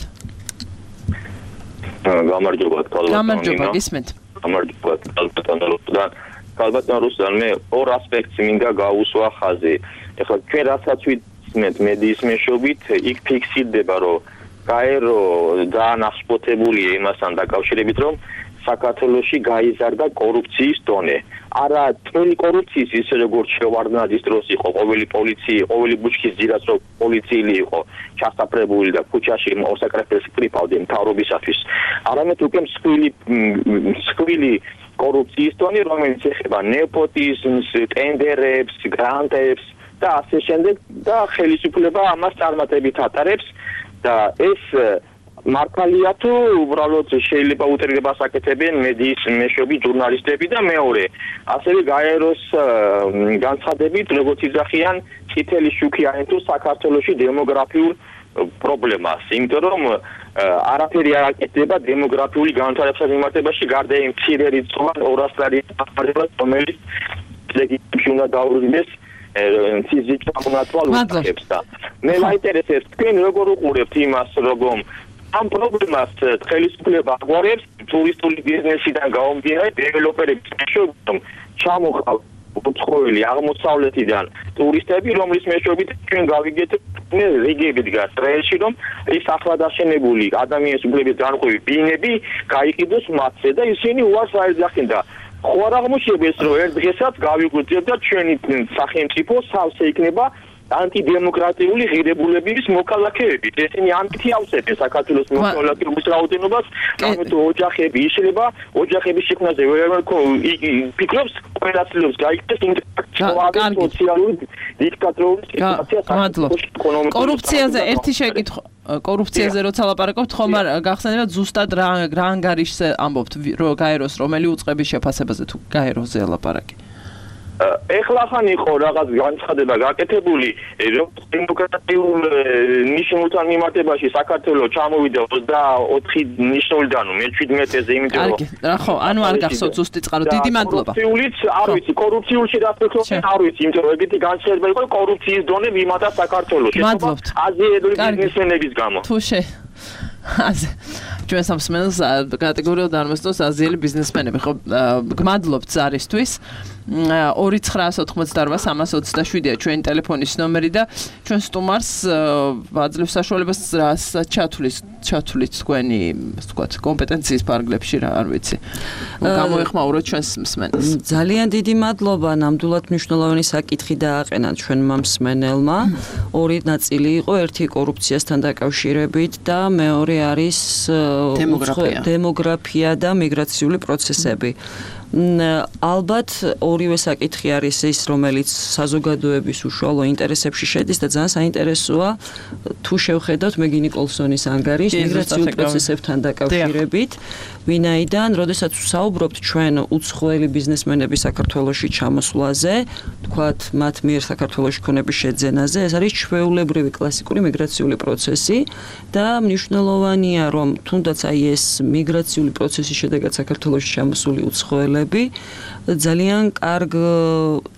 გამარჯობა, ქალბატონი. გამარჯობა, გისმენთ. გამარჯობა, ქალბატონი. ქალბატონ რუსლან, მე ორ ასპექტს მინდა გაუსვა ხაზი. ეხლა ჩვენ რასაც მოვისმენთ მედიის მეშვეობით, იქ ფიქსირდება, რომ გაერო ძალიან აღშფოთებულია იმასთან დაკავშირებით, რომ საქართველოში გაიზარდა კორუფციის დონე. არა წელი კორუფციის ისე როგორც შევარდნაძის დროს იყო ყოველი პოლიცია, ყოველი ბუჩქის ძირას რო პოლიციელი იყო ჩასაფრებული და ქუჩაში მოსაკრეფილს პრიპავდნენ მთავრობისათვის. არამედ უკვე მსხვილი მსხვილი კორუფციის დონე, რომელიც ეხება ნეპოტიზმს, ტენდერებს, გრანტებს და ასე შემდეგ და ხელისუფლება ამას წარმატებით ატარებს და ეს მართალია თუ უბრალოდ შეიძლება უტრირებას აკეთებენ მედიის მეშვეობით ჟურნალისტები და მეორე ასევე გაეროს განცხადებით როგორც იძახიან წითელი შუქი აერთოს საქართველოში დემოგრაფიულ პრობლემას იმიტომ რომ არაფერი არ აკეთდება დემოგრაფიული განვითარების მიმართებაში გარდა იმ მცირე რიცხვოვან ორას ლარიან რომელიც ლეგიტიმში უნდა დაუბრუნდეს ფიზიკა მონათვალს და მე მაინტერესებს თქვენ როგორ უყურებთ იმას რომ ამ პრობლემას ხელისუფლება აგვარებს ტურისტული ბიზნესიდან გამომდინარე დეველოპერების მეშვეობით ჩამოყალ უცხოელი აღმოსავლეთიდან ტურისტები რომლის მეშვეობით ჩვენ გავიგეთ რიგები დგას რეალში რომ ის ახლადაშენებული ადამიანის უფლების განყოფი ბინები გაიყიდოს მათზე და ისინი უარს აეძახენ და ხო არ აღმოჩნდეს რომ ერთ დღესაც გავიგვიძებთ და ჩვენი სახელმწიფო სავსე იქნება ანტიდემოკრატიული ღირებულებების მოქალაქეები. ესენი ანტიავსებენ საქართველოს მოქალაქეობის რაოდენობას, გამეთ ოჯახები იშლება, ოჯახების შექმნაზე ვერ ფიქრობს, ყველასლებს გაიქცეს ინტერაქცია სოციალური დიქტატორული სიტუაცია საქართველოს ეკონომიკურ კორუფციაზე ერთი შეკითხვა კორუფციაზე როცა ლაპარაკობთ ხომ არ გახსენებათ ზუსტად რა რა ანგარიშზე ამბობთ რომ გაეროს რომელი უწყების შეფასებაზე თუ გაეროზე ლაპარაკი ეხლა ხან იყო რაღაც განცხადება გაკეთებული რომ დემოკრატიულ ნიშნულთან მიმართებაში საქართველოს ჩამოვიდა ოცდაოთხი ნიშნულიდან მეჩვიდმეტეზე იმიტომ რომ რა ხო ანუ არ გახსოვთ ზუსტი წყარო დიდი მადლობა კორუფციულიც არ ვიცი კორუფციულში დაფიქროთ არ ვიცი იმიტომ რომ ეგეთი განცხადება იყო კორუფციის დონე მიმართა საქართველოში აზიელური ბიზნესმენების გამო თუ შე აზე ჩვენ სამსმენელს კატეგორიულად არ მოსწონს აზიელი ბიზნესმენები ხო გმადლობთ ზარისთვის ორი ცხრაას ოთხმოცდაოთხ სამას ოცდაშვიდია ჩვენი ტელეფონის ნომერი და ჩვენ სტუმარს ვაძლევს საშუალებას რასაც ჩათვლის ჩათვლით თქვენი ასე ვთქვათ კომპეტენციის ფარგლებში რა არ ვიცი გამოეხმაუროთ ჩვენს მსმენელს ძალიან დიდი მადლობა ნამდვილად მნიშვნელოვანი საკითხი დააყენა ჩვენმა მსმენელმა ორი ნაწილი იყო ერთი კორუფციასთან დაკავშირებით და მეორე არის დემოგრაფია დემოგრაფია და მიგრაციული პროცესები ალბათ ორივე საკითხი არის ის რომელიც საზოგადოების უშუალო ინტერესებში შედის და ძალიან საინტერესოა თუ შევხედავთ მეგი ნიკოლსონის ანგარიშს მიგრაციულ პროცესებთან დაკავშირებით ვინაიდან როდესაც ვსაუბრობთ ჩვენ უცხოელი ბიზნესმენების საქართველოში ჩამოსვლაზე თქვათ მათ მიერ საქართველოში ქონების შეძენაზე ეს არის ჩვეულებრივი კლასიკური მიგრაციული პროცესი და მნიშვნელოვანია რომ თუნდაც აი ეს მიგრაციული პროცესის შედეგად საქართველოში ჩამოსული უცხოელები ძალიან კარგ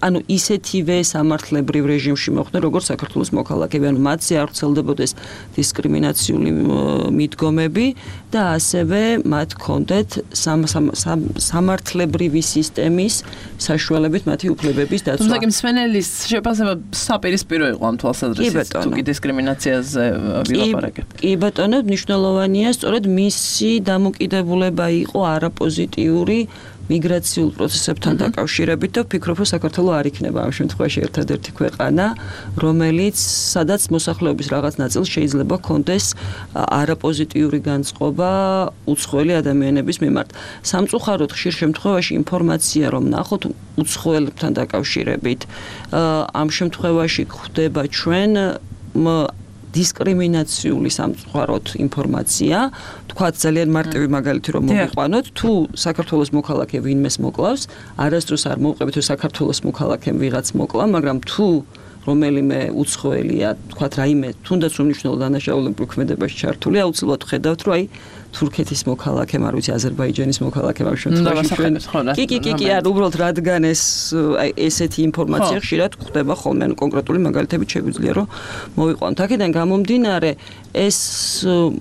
ანუ ისეთივე სამართლებრივ რეჟიმში მოხვდნენ როგორც საქართველოს მოქალაქეები ანუ მათზე არ ვრცელდებოდეს დისკრიმინაციული მიდგომები და ასევე მათ ჰქონდეთ სამართლებრივი სისტემის საშუალებით მათი უფლებების დაცვა. თუმცა კი მსმენელის შეფასება საპირისპირო იყო ამ თვალსაზრისით თუ კი დისკრიმინაციაზე ვილაპარაკებთ. კი ბატონო მნიშვნელოვანია სწორედ მისი დამოკიდებულება იყო არაპოზიტიური მიგრაციულ პროცესებთან დაკავშირებით და ვფიქრობ, რომ საქართველო არ იქნება ამ შემთხვევაში ერთადერთი ქვეყანა, რომელიც სადაც მოსახლეობის რაღაც ნაწილს შეიძლება ჰქონდეს არაპოზიტიური განწყობა უცხოელი ადამიანების მიმართ. სამწუხაროდ ხშირ შემთხვევაში ინფორმაცია რომ ნახოთ უცხოელებთან დაკავშირებით, ამ შემთხვევაში გვხვდება ჩვენ დისკრიმინაციული სამწუხაროდ ინფორმაცია, თქვათ ძალიან მარტივი მაგალითი რომ მოვიყვანოთ, თუ საქართველოს მოქალაქე ვინმეს მოკლავს, არასდროს არ მოვყვებით რომ საქართველოს მოქალაქემ ვიღაც მოკლა, მაგრამ თუ რომელიმე უცხოელია, თქვათ რაიმე თუნდაც უმნიშვნელო დანაშაულებრივ ქმედებაში ჩართული, აუცილებლად ხედავთ რომ აი თურქეთის მოქალაქემ, არ ვიცი, აზერბაიჯანის მოქალაქემ ამ შემთხვევაში ჩვენ კი კი კი კი არ უბრალოდ რადგან ეს აი ესეთი ინფორმაცია ხშირად გვხვდება ხოლმე, ანუ კონკრეტული მაგალითებით შეგვიძლია რომ მოვიყვანოთ. აქედან გამომდინარე ეს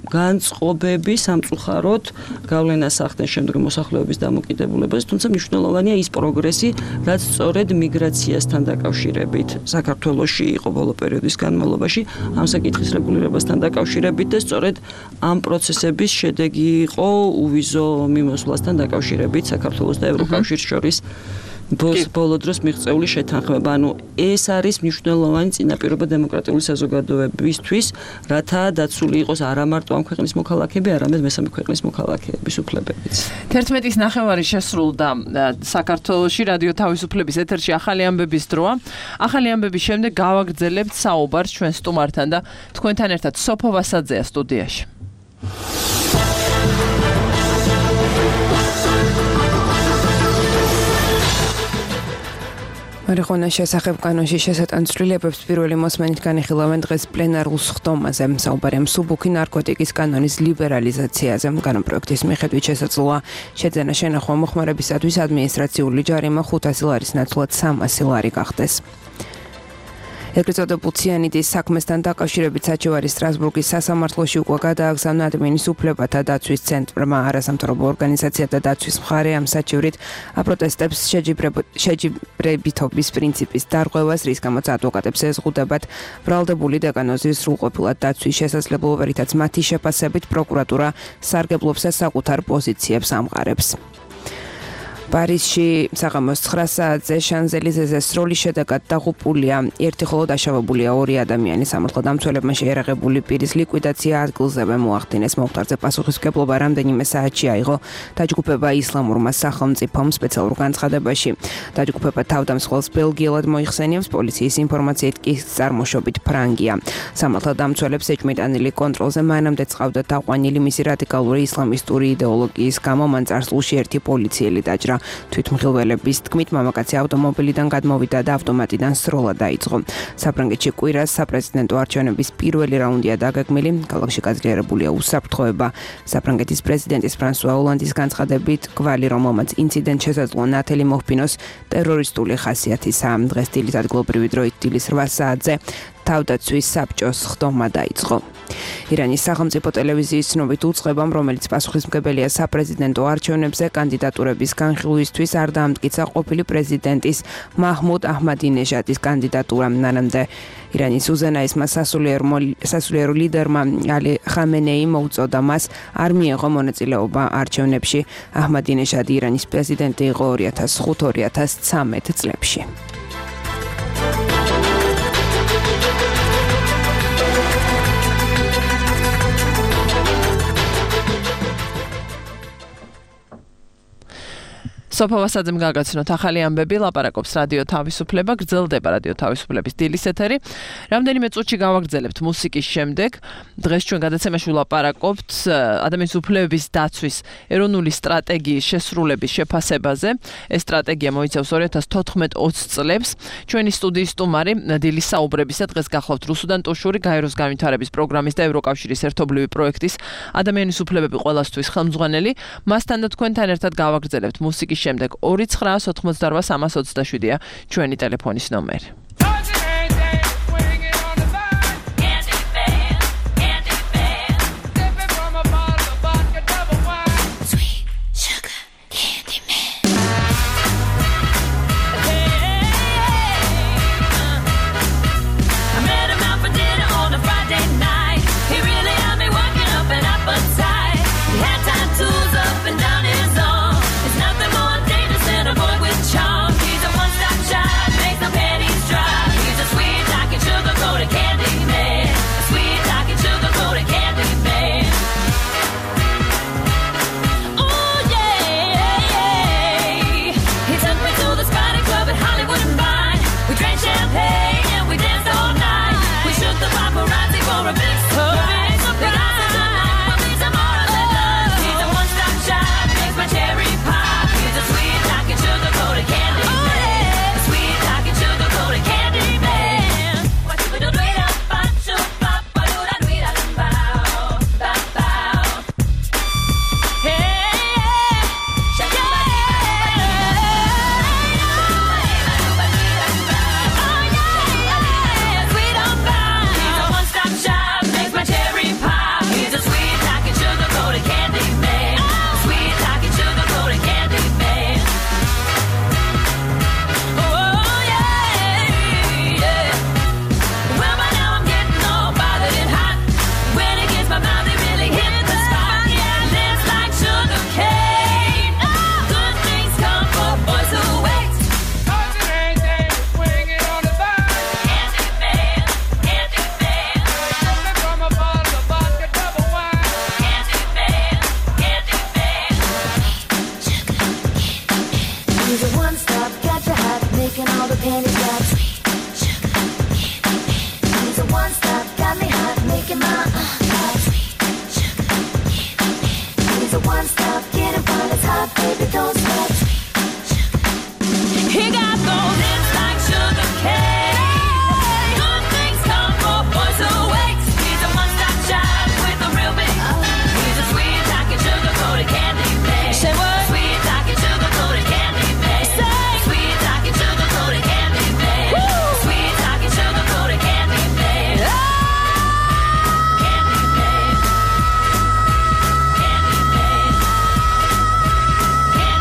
განწყობები სამწუხაროდ გავლენას ახდენ შემდეგ მოსახლეობის დამოკიდებულებაზე, თუმცა მნიშვნელოვანია ის პროგრესი, რაც სწორედ მიგრაციასთან დაკავშირებით საქართველოს საქართველოში იყო ბოლო პერიოდის განმავლობაში ამ საკითხის რეგულირებასთან დაკავშირებით და სწორედ ამ პროცესების შედეგი იყო უვიზო მიმოსვლასთან დაკავშირებით საქართველოს და ევროკავშირის შორის ბოლო დროს მიღწეული შეთანხმება. ანუ ეს არის მნიშვნელოვანი წინაპირობა დემოკრატიული საზოგადოებისთვის, რათა დაცული იყოს არა მარტო ამ ქვეყნის მოქალაქეები, არამედ მესამე ქვეყნის მოქალაქეების უფლებებიც. თერთმეტის ნახევარი შესრულდა საქართველოში რადიო თავისუფლების ეთერში ახალი ამბების დროა. ახალი ამბების შემდეგ გავაგრძელებთ საუბარს ჩვენ სტუმართან და თქვენთან ერთად სოფო ვასაძეა სტუდიაში. მარიხუანის შესახებ კანონში შესატანცვლილებებს პირველი მოსმენით განიხილავენ დღეს პლენარულ სხდომაზე. საუბარია მსუბუქი ნარკოტიკის კანონის ლიბერალიზაციაზე. კანონპროექტის მიხედვით შესაძლოა შეძენა შენახვა მოხმარებისათვის ადმინისტრაციული ჯარიმა ხუთასი ლარის ნაცვლად სამასი ლარი გახდეს. ეგრეთ წოდებულ ციანიდის საქმესთან დაკავშირებით საჩივარი სტრასბურგის სასამართლოში უკვე გადააგზავნა ადმინის უფლებათა დაცვის ცენტრმა. არასამთავრობო ორგანიზაცია და დაცვის მხარე ამ საჩივრით აპროტესტებს შეჯიბრებითობის პრინციპის დარღვევას, რის გამოც ადვოკატებს ეზღუდებათ ბრალდებული დეკანოზის სრულყოფილად დაცვის შესაძლებლობა, რითაც მათი შეფასებით პროკურატურა სარგებლობს და საკუთარ პოზიციებს ამყარებს. პარიზში საღამოს ცხრა საათზე შანზელიზეზე სროლის შედეგად დაღუპულია ერთი ხოლო დაშავებულია ორი ადამიანი. სამართალდამცველებმა შეერაღებული პირის ლიკვიდაცია ადგილზევე მოახდინეს. მომხდარზე პასუხისმგებლობა რამდენიმე საათში აიღო დაჯგუფება ისლამურმა სახელმწიფომ სპეციალურ განცხადებაში. დაჯგუფება თავდამსხმელს ბელგიელად მოიხსენიებს, პოლიციის ინფორმაციით კი წარმოშობით ფრანგია. სამართალდამცველებს ეჭვმიტანილი კონტროლზე მანამდე წავდა დაყვანილი მისი რადიკალური ისლამისტური იდეოლოგიის გამო მან წარსულში ერთი პოლიციელი დაჭრა. თვითმხილველების თქმით, მამაკაცი ავტომობილიდან გადმოვიდა და ავტომატიდან სროლა დაიწყო. საფრანგეთში კვირას საპრეზიდენტო არჩევნების პირველი რაუნდია დაგეგმილი. ქალაქში გაძლიერებულია უსაფრთხოება. საფრანგეთის პრეზიდენტის ფრანსუა ოლანდის განცხადებით, გვალი, რომელმაც ინციდენტ შესაძლოა ნათელი მოჰფინოს, ტერორისტული ხასიათისაა. დღეს დილით ადგილობრივი დროით დილის რვა საათზე თავდაცვის საბჭოს სხდომა დაიწყო. ირანის სახელმწიფო ტელევიზიის ცნობით უწყებამ, რომელიც პასუხისმგებელია საპრეზიდენტო არჩევნებზე კანდიდატურების განხილვისთვის, არ დაამტკიცა ყოფილი პრეზიდენტის მაჰმუდ აჰმადინეჟადის კანდიდატურა. მანამდე ირანის უზენაესმა სასულიერო ლიდერმა ალი ხამენეი მოუწოდა მას არ მიეღო მონაწილეობა არჩევნებში. აჰმადინეჟადი ირანის პრეზიდენტი იყო ორი ათას ხუთი ორი ათას ცხრამეტ წლებში. სოფო ვასაძემ გაგაცნოთ ახალი ამბები, ლაპარაკობს რადიო თავისუფლება, გრძელდება რადიო თავისუფლების დილის ეთერი. რამდენიმე წუთში გავაგრძელებთ მუსიკის შემდეგ. დღეს ჩვენ გადაცემაში ვლაპარაკობთ ადამიანის უფლებების დაცვის ეროვნული სტრატეგიის შესრულების შეფასებაზე. ეს სტრატეგია მოიცავს ორი ათას თოთხმეტ ოცი წლებს. ჩვენი სტუდიის სტუმარი დილის საუბრებისა დღეს გახლავთ რუსუდან ტუშური, გაეროს განვითარების პროგრამის და ევროკავშირის ერთობლივი პროექტის ადამიანის უფლებები ყველასთვის ხელმძღვანელი. მასთან და თქვენთან ერთად გავაგრძელებთ მუსიკის შემდეგ ორი ცხრაას ოთხმოცდარვა სამას ოცდაშვიდია ჩვენი ტელეფონის ნომერი. He's a one-stop shop, makes no pennies drop. stop, got your heart making all the panties drop. Sweet sugar candy man. He's a one stop, got me hot, making my uh hot. Sweet sugar candy man. He's a one stop, getting while it's hot, baby, don't stop. Sweet sugar. He got those lips like sugar cane. Good things come for boys who wait. He's a one stop shop with a real big. He's a sweet talking sugar coated candy man. Say what? Sweet talking sugar coated candy man. Say sweet talking sugar coated candy man. Sweet talking sugar coated candy man. Candy man. Candy man. Candy man. Candy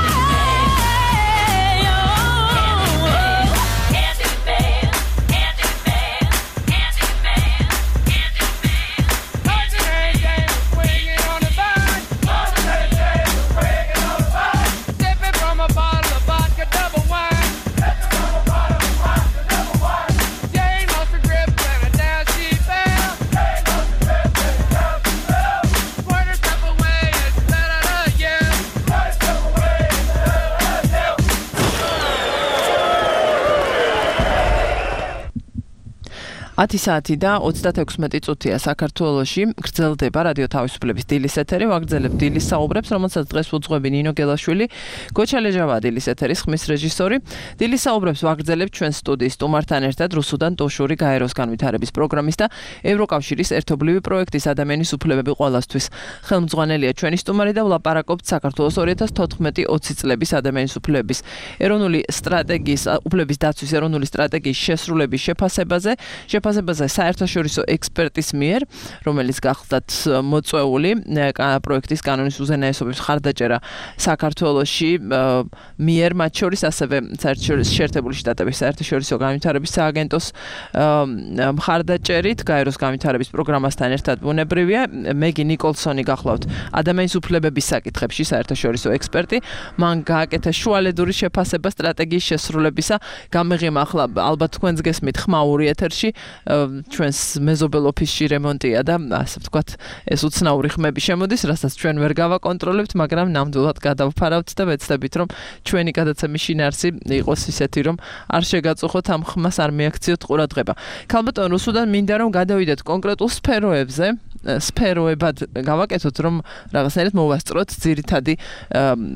ათი საათი და ოცდაექვსმეტი წუთია საქართველოში. გრძელდება რადიო თავისუფლების დილის ეთერი. ვაგრძელებ დილის საუბრებს, რომელსაც დღეს უძღვები ნინო გელაშვილი, გოჩა ლეჟავა დილის ეთერის ხმის რეჟისორი. დილის საუბრებს ვაგრძელებ ჩვენ სტუდიის სტუმართან ერთად რუსუდან ტოშური გაეროს განვითარების პროგრამის და ევროკავშირის ერთობლივი პროექტის ადამიანის უფლებები ყველასთვის. ხელმძღვანელია ჩვენი სტუმარი და ვლაპარაკობთ საქართველოს ორი ათას თოთხმეტი ოცი წლების ადამიანის უფლებების ეროვნული სტრატეგიის უფლების დაცვის ეროვნული სტრატეგიის შესრულების შეფასებაზე. შეფასებაზე საერთაშორისო ექსპერტის მიერ, რომელიც გახლდათ მოწვეული პროექტის კანონის უზენაესობის მხარდაჭერა საქართველოში მიერ, მათ შორის ასევე საერთაშორისო შეერთებული შტატების საერთაშორისო განვითარების სააგენტოს მხარდაჭერით, გაეროს განვითარების პროგრამასთან ერთად ბუნებრივია. მეგი ნიკოლსონი გახლავთ ადამიანის უფლებების საკითხებში საერთაშორისო ექსპერტი. მან გააკეთა შუალედური შეფასება სტრატეგიის შესრულებისა. გამეღიმა ახლა ალბათ თქვენს გესმით ხმაური ეთერში. ჩვენს მეზობელ ოფისში რემონტია და ასე ვთქვათ, ეს უცნაური ხმები შემოდის, რასაც ჩვენ ვერ გავაკონტროლებთ, მაგრამ ნამდვილად გადავფარავთ და ვეცდებით, რომ ჩვენი გადაცემის შინაარსი იყოს ისეთი, რომ არ შეგაწუხოთ ამ ხმას, არ მიაქციოთ ყურადღება. ქალბატონ რუსუდან მინდა რომ გადავიდეთ კონკრეტულ სფეროებზე, სფეროებად გავაკეთოთ, რომ რაღაცნაირად მოვასწროთ ძირითადი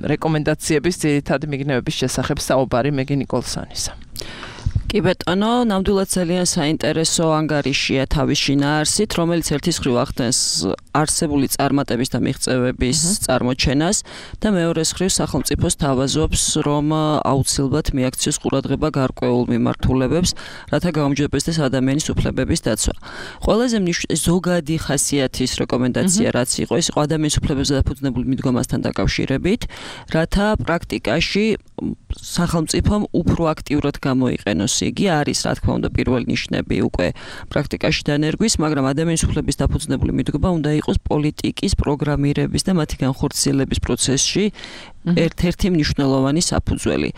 რეკომენდაციების, ძირითადი მიგნებების შესახებ საუბარი მეგი ნიკოლსონისა. კი ბეტონო, ნამდვილად ძალიან საინტერესო ანგარიშია თავის შინაარსით, რომელიც ერთის მხრივ ახდენს არსებული წარმატების და მიღწევების წარმოჩენას და მეორეს მხრივ სახელმწიფოს თავაზობს, რომ აუცილებლად მიაქციოს ყურადღება გარკვეულ მიმართულებებს, რათა გაუმჯობესდეს ადამიანის უფლებების დაცვა. ყველაზე ზოგადი ხასიათის რეკომენდაცია რაც იყო, ის იყო ადამიანის უფლებებზე დაფუძნებული მიდგომასთან დაკავშირებით, რათა პრაქტიკაში სახელმწიფომ უფრო აქტიურად გამოიყენოს. იგი არის, რა თქმა უნდა, პირველი ნიშნები უკვე პრაქტიკაში დანერგვის, მაგრამ ადამიანის უფლების დაფუძნებული მიდგომა უნდა იყოს პოლიტიკის პროგრამირების და მათი განხორციელების პროცესში ერთ-ერთი მნიშვნელოვანი საფუძველი.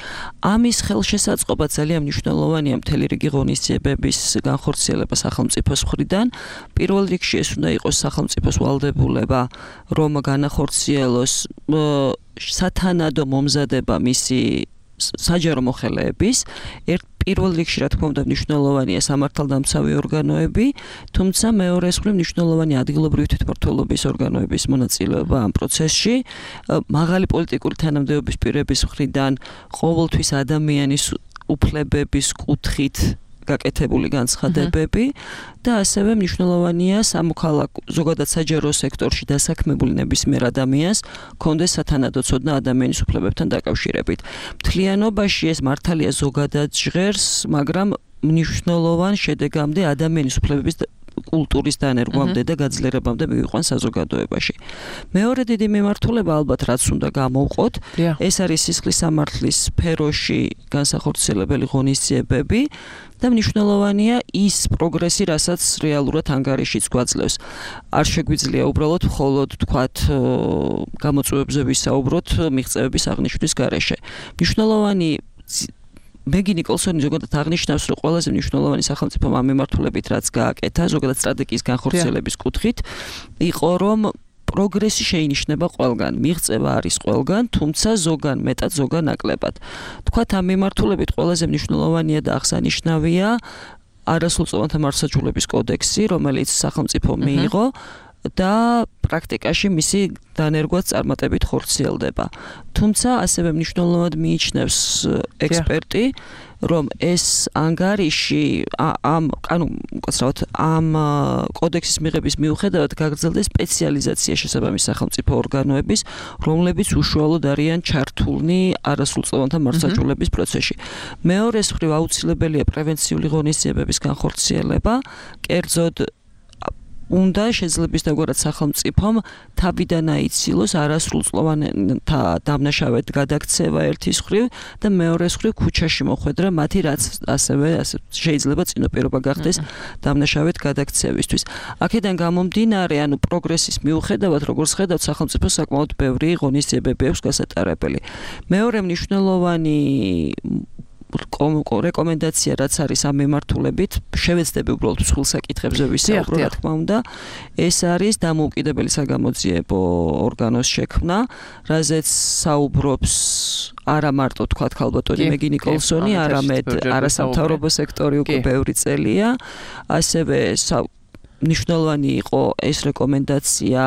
ამის ხელშესაწყობა ძალიან მნიშვნელოვანია მთელი რიგი ღონისძიებების განხორციელება სახელმწიფოს მხრიდან. პირველ რიგში ეს უნდა იყოს სახელმწიფოს ვალდებულება, რომ განახორციელოს სათანადო მომზადება მისი საჯარო მოხელეების. ერთ პირველ რიგში, რა თქმა უნდა, მნიშვნელოვანია სამართალდამცავი ორგანოები, თუმცა მეორეს მხრივ მნიშვნელოვანია ადგილობრივი თვითმმართველობის ორგანოების მონაწილეობა ამ პროცესში. მაღალი პოლიტიკური თანამდებობის პირების მხრიდან ყოველთვის ადამიანის უფლებების კუთხით გაკეთებული განცხადებები და ასევე მნიშვნელოვანია სამოქალაქო ზოგადად საჯარო სექტორში დასაქმებული ნებისმიერ ადამიანს კონდეს სათანადო ცოდნა ადამიანის უფლებებთან დაკავშირებით. მთლიანობაში ეს მართალია ზოგადად ჟღერს, მაგრამ მნიშვნელოვან შედეგამდე ადამიანის უფლებების კულტურის დანერგვამდე და გაძლიერებამდე მივიყვან საზოგადოებაში. მეორე დიდი მიმართულება ალბათ რაც უნდა გამოვყოთ, ეს არის სისხლის სამართლის სფეროში განსახორციელებელი ღონისძიებები და მნიშვნელოვანია ის პროგრესი, რასაც რეალურად ანგარიშიც გვაძლევს. არ შეგვიძლია უბრალოდ მხოლოდ თქვათ გამოწვევებზე ვისაუბროთ მიღწევების აღნიშვნის გარეშე. მნიშვნელოვანი მეგი ნიკოლსონი ზოგადად აღნიშნავს, რომ ყველაზე მნიშვნელოვანი სახელმწიფო ამ მიმართულებით რაც გააკეთა, ზოგადად სტრატეგიის განხორციელების კუთხით, იყო რომ პროგრესი შეინიშნება ყველგან, მიღწევა არის ყველგან, თუმცა ზოგან მეტად, ზოგან ნაკლებად. თქვათ ამ მიმართულებით ყველაზე მნიშვნელოვანია და აღსანიშნავია არასრულწლოვანთა მართლმსაჯულების კოდექსი, რომელიც სახელმწიფო მიიღო და პრაქტიკაში მისი დანერგვაც წარმატებით ხორციელდება. თუმცა ასევე მნიშვნელოვნად მიიჩნევს ექსპერტი, რომ ეს ანგარიში ამ ანუ უკაცრავად ამ კოდექსის მიღების მიუხედავად გაგრძელდეს სპეციალიზაცია შესაბამის სახელმწიფო ორგანოების, რომლებიც უშუალოდ არიან ჩართულნი არასრულწლოვანთა მართლმსაჯულების პროცესში. მეორეს მხრივ აუცილებელია პრევენციული ღონისძიებების განხორციელება, კერძოდ უნდა შეძლებს დაგვარად სახელმწიფომ თავიდან აიცილოს არასრულწლოვანთა დამნაშავედ გადაქცევა ერთის მხრივ და მეორეს მხრივ ქუჩაში მოხვედრა მათი რაც ასევე შეიძლება წინაპირობა გახდეს დამნაშავედ გადაქცევისთვის. აქედან გამომდინარე, ანუ პროგრესის მიუხედავად, როგორც ხედავთ, სახელმწიფო საკმაოდ ბევრი ღონისძიებები აქვს გასატარებელი. მეორე მნიშვნელოვანი რეკომენდაცია რაც არის ამ მიმართულებით, შევეცდები უბრალოდ მსხვილ საკითხებზე ვისაუბრო, რა თქმა უნდა, ეს არის დამოუკიდებელი საგამოძიებო ორგანოს შექმნა, რაზეც საუბრობს არა მარტო თქვა ქალბატონი მეგი ნიკოლსონი, არამედ არასამთავრობო სექტორი უკვე ბევრი წელია, ასევე მნიშვნელოვანი იყო ეს რეკომენდაცია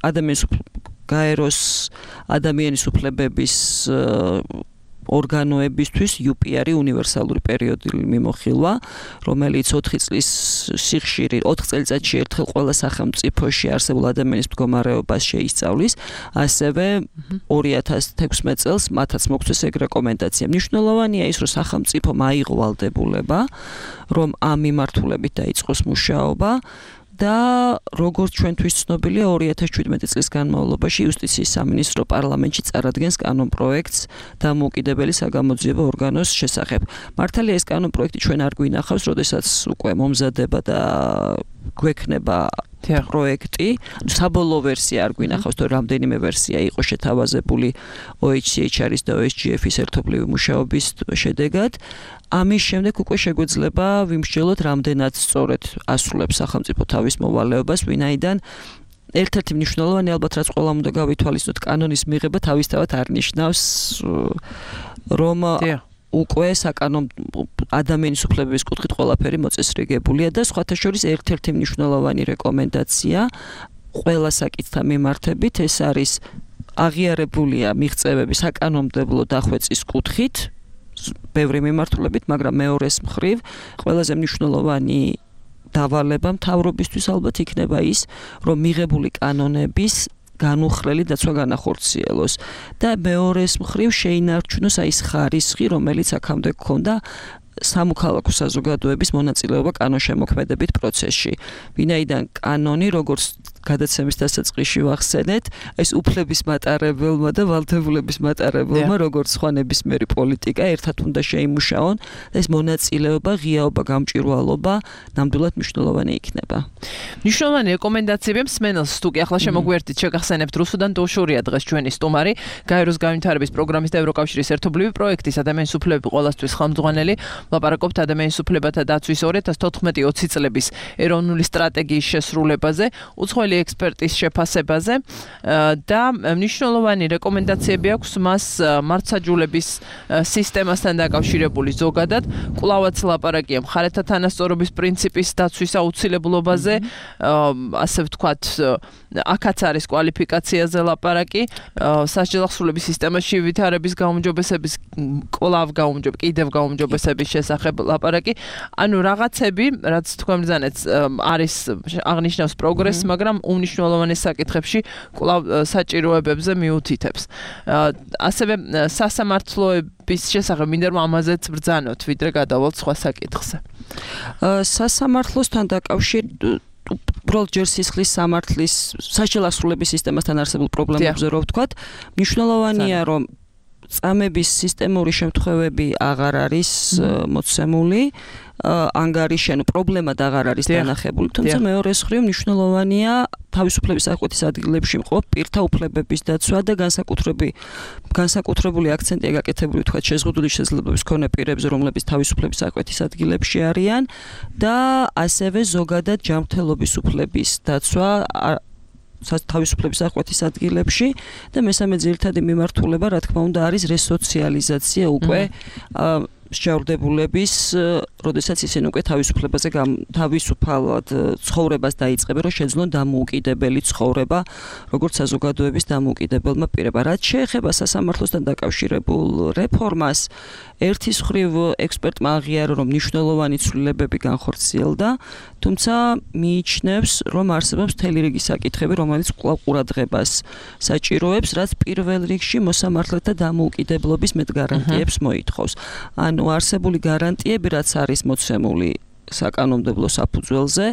ადამიანის გაეროს ადამიანის უფლებების ორგანოებისთვის იუ პი არ უნივერსალური პერიოდული მიმოხილვა, რომელიც ოთხი წლის სიხშირი, ოთხ წელიწადში ერთხელ ყველა სახელმწიფოში არსებულ ადამიანის მდგომარეობას შეისწავლის, ასევე ორი ათას თექვსმეტ წელს მათაც მოგვცეს ეგ რეკომენდაცია. მნიშვნელოვანია ის, რომ სახელმწიფომ აიღო ვალდებულება, რომ ამ მიმართულებით დაიწყოს მუშაობა და როგორც ჩვენთვის ცნობილია, ორი ათას შვიდმეტი წლის განმავლობაში იუსტიციის სამინისტრო პარლამენტში წარადგენს კანონპროექტს დამოუკიდებელი საგამოძიებო ორგანოს შესახებ. მართალია ეს კანონპროექტი ჩვენ არ გვინახავს, როდესაც უკვე მომზადება და გვექნება პროექტი, საბოლოო ვერსია არ გვინახავს, თუ რამდენიმე ვერსია იყო შეთავაზებული ო ეიჩ სი ეიჩ არ-ის და ო ეს ჯი ეფ-ის ერთობლივი მუშაობის შედეგად. ამის შემდეგ უკვე შეგვეძლება ვიმსჯელოთ, რამდენად სწორედ ასრულებს სახელმწიფო თავის მოვალეობას, ვინაიდან ერთ-ერთი მნიშვნელოვანი ალბათ რაც ყველამ უნდა გავითვალისწინოთ, კანონის მიღება თავისთავად არ ნიშნავს, რომ უკვე საკანონო ადამიანის უფლებების კუთხით ყველაფერი მოწესრიგებულია და სხვათა შორის ერთ-ერთი მნიშვნელოვანი რეკომენდაცია ყველა საკითხთან მიმართებით ეს არის აღიარებულია მიღწევების საკანონმდებლო დახვეწის კუთხით ბევრი მიმართულებით, მაგრამ მეორეს მხრივ ყველაზე მნიშვნელოვანი დავალება მთავრობისთვის ალბათ იქნება ის, რომ მიღებული კანონების განუხრელი დაცვა განახორციელოს და მეორეს მხრივ შეინარჩუნოს აი ეს ხარისხი, რომელიც აქამდე გქონდა სამოქალაქო საზოგადოების მონაწილეობა კანონშემოქმედებით პროცესში. ვინაიდან კანონი, როგორც გადაცემის დასაწყისში ვახსენეთ, ეს უფლების მატარებელმა და ვალდებულების მატარებელმა, როგორც სხვა ნებისმიერი პოლიტიკა, ერთად უნდა შეიმუშაონ და ეს მონაწილეობა, ღიაობა, გამჭვირვალობა ნამდვილად მნიშვნელოვანი იქნება. მნიშვნელოვანი რეკომენდაციები მსმენელს თუ კი ახლა შემოგვიერთდით, შეგახსენებთ რუსუდან დოშურია დღეს ჩვენი სტუმარი, გაეროს განვითარების პროგრამის და ევროკავშირის ერთობლივი პროექტის ადამიანის უფლებები ყველასთვის ხელმძღვანელი, ვლაპარაკობთ ადამიანის უფლებათა დაცვის ორი ათას თოთხმეტი ოცი წლების ეროვნული სტრატეგიის შესრულებაზე, უცხოელი ექსპერტის შეფასებაზე და მნიშვნელოვანი რეკომენდაციები აქვს მას მართლმსაჯულების სისტემასთან დაკავშირებული ზოგადად, კვლავაც ლაპარაკია მხარეთა თანასწორობის პრინციპის დაცვის აუცილებლობაზე, ასე ვთქვათ, აქაც არის კვალიფიკაციაზე ლაპარაკი, სასჯელახსრულების სისტემაში ვითარების გაუმჯობესების კვლავ გაუმჯობ, კიდევ გაუმჯობესების შესახებ ლაპარაკი. ანუ რაღაცები, რაც თქვენ ბრძანეთ, არის აღნიშნავს პროგრესს, მაგრამ უმნიშვნელოვანეს საკითხებში კვლავ საჭიროებებზე მიუთითებს. ასევე სასამართლოების შესახებ მინდა რომ ამაზეც ბრძანოთ, ვიდრე გადავალთ სხვა საკითხზე. სასამართლოსთან დაკავშირებით უბრალოდ ჯერ სისხლის სამართლის სასჯელახსრულების სისტემასთან არსებულ პრობლემებზე რო ვთქვათ, მნიშვნელოვანია რომ წამების სისტემური შემთხვევები აღარ არის მოცემული. ანგარიში, ანუ პრობლემა აღარ არის დანახებული, თუმცა მეორე მხრივ მნიშვნელოვანია თავისუფლების აღკვეთის ადგილებში მყოფ პირთა უფლებების დაცვა და განსაკუთრებული განსაკუთრებული აქცენტია გაკეთებული თქვა შეზღუდული შესაძლებლობის მქონე პირებზე, რომლებიც თავისუფლების აღკვეთის ადგილებში არიან და ასევე ზოგადად ჯანმრთელობის უფლების დაცვა თავისუფლების აღკვეთის ადგილებში და მესამე ძირითადი მიმართულება, რა თქმა უნდა, არის რესოციალიზაცია უკვე მსჯავრდებულების, როდესაც ისინი უკვე თავისუფლებაზე თავისუფალად ცხოვრებას დაიწყებენ, რომ შეძლონ დამოუკიდებელი ცხოვრება, როგორც საზოგადოების დამოუკიდებელმა პირებმა. რაც შეეხება სასამართლოსთან დაკავშირებულ რეფორმას, ერთი მხრივ ექსპერტმა აღიარა, რომ მნიშვნელოვანი ცვლილებები განხორციელდა, თუმცა მიიჩნევს, რომ არსებობს მთელი რიგი საკითხები, რომელიც კვლავ ყურადღებას საჭიროებს, რაც პირველ რიგში მოსამართლეთა დამოუკიდებლობის მეტ გარანტიებს მოითხოვს. ანუ არსებული გარანტიები, რაც არის მოცემული საკანონმდებლო საფუძველზე,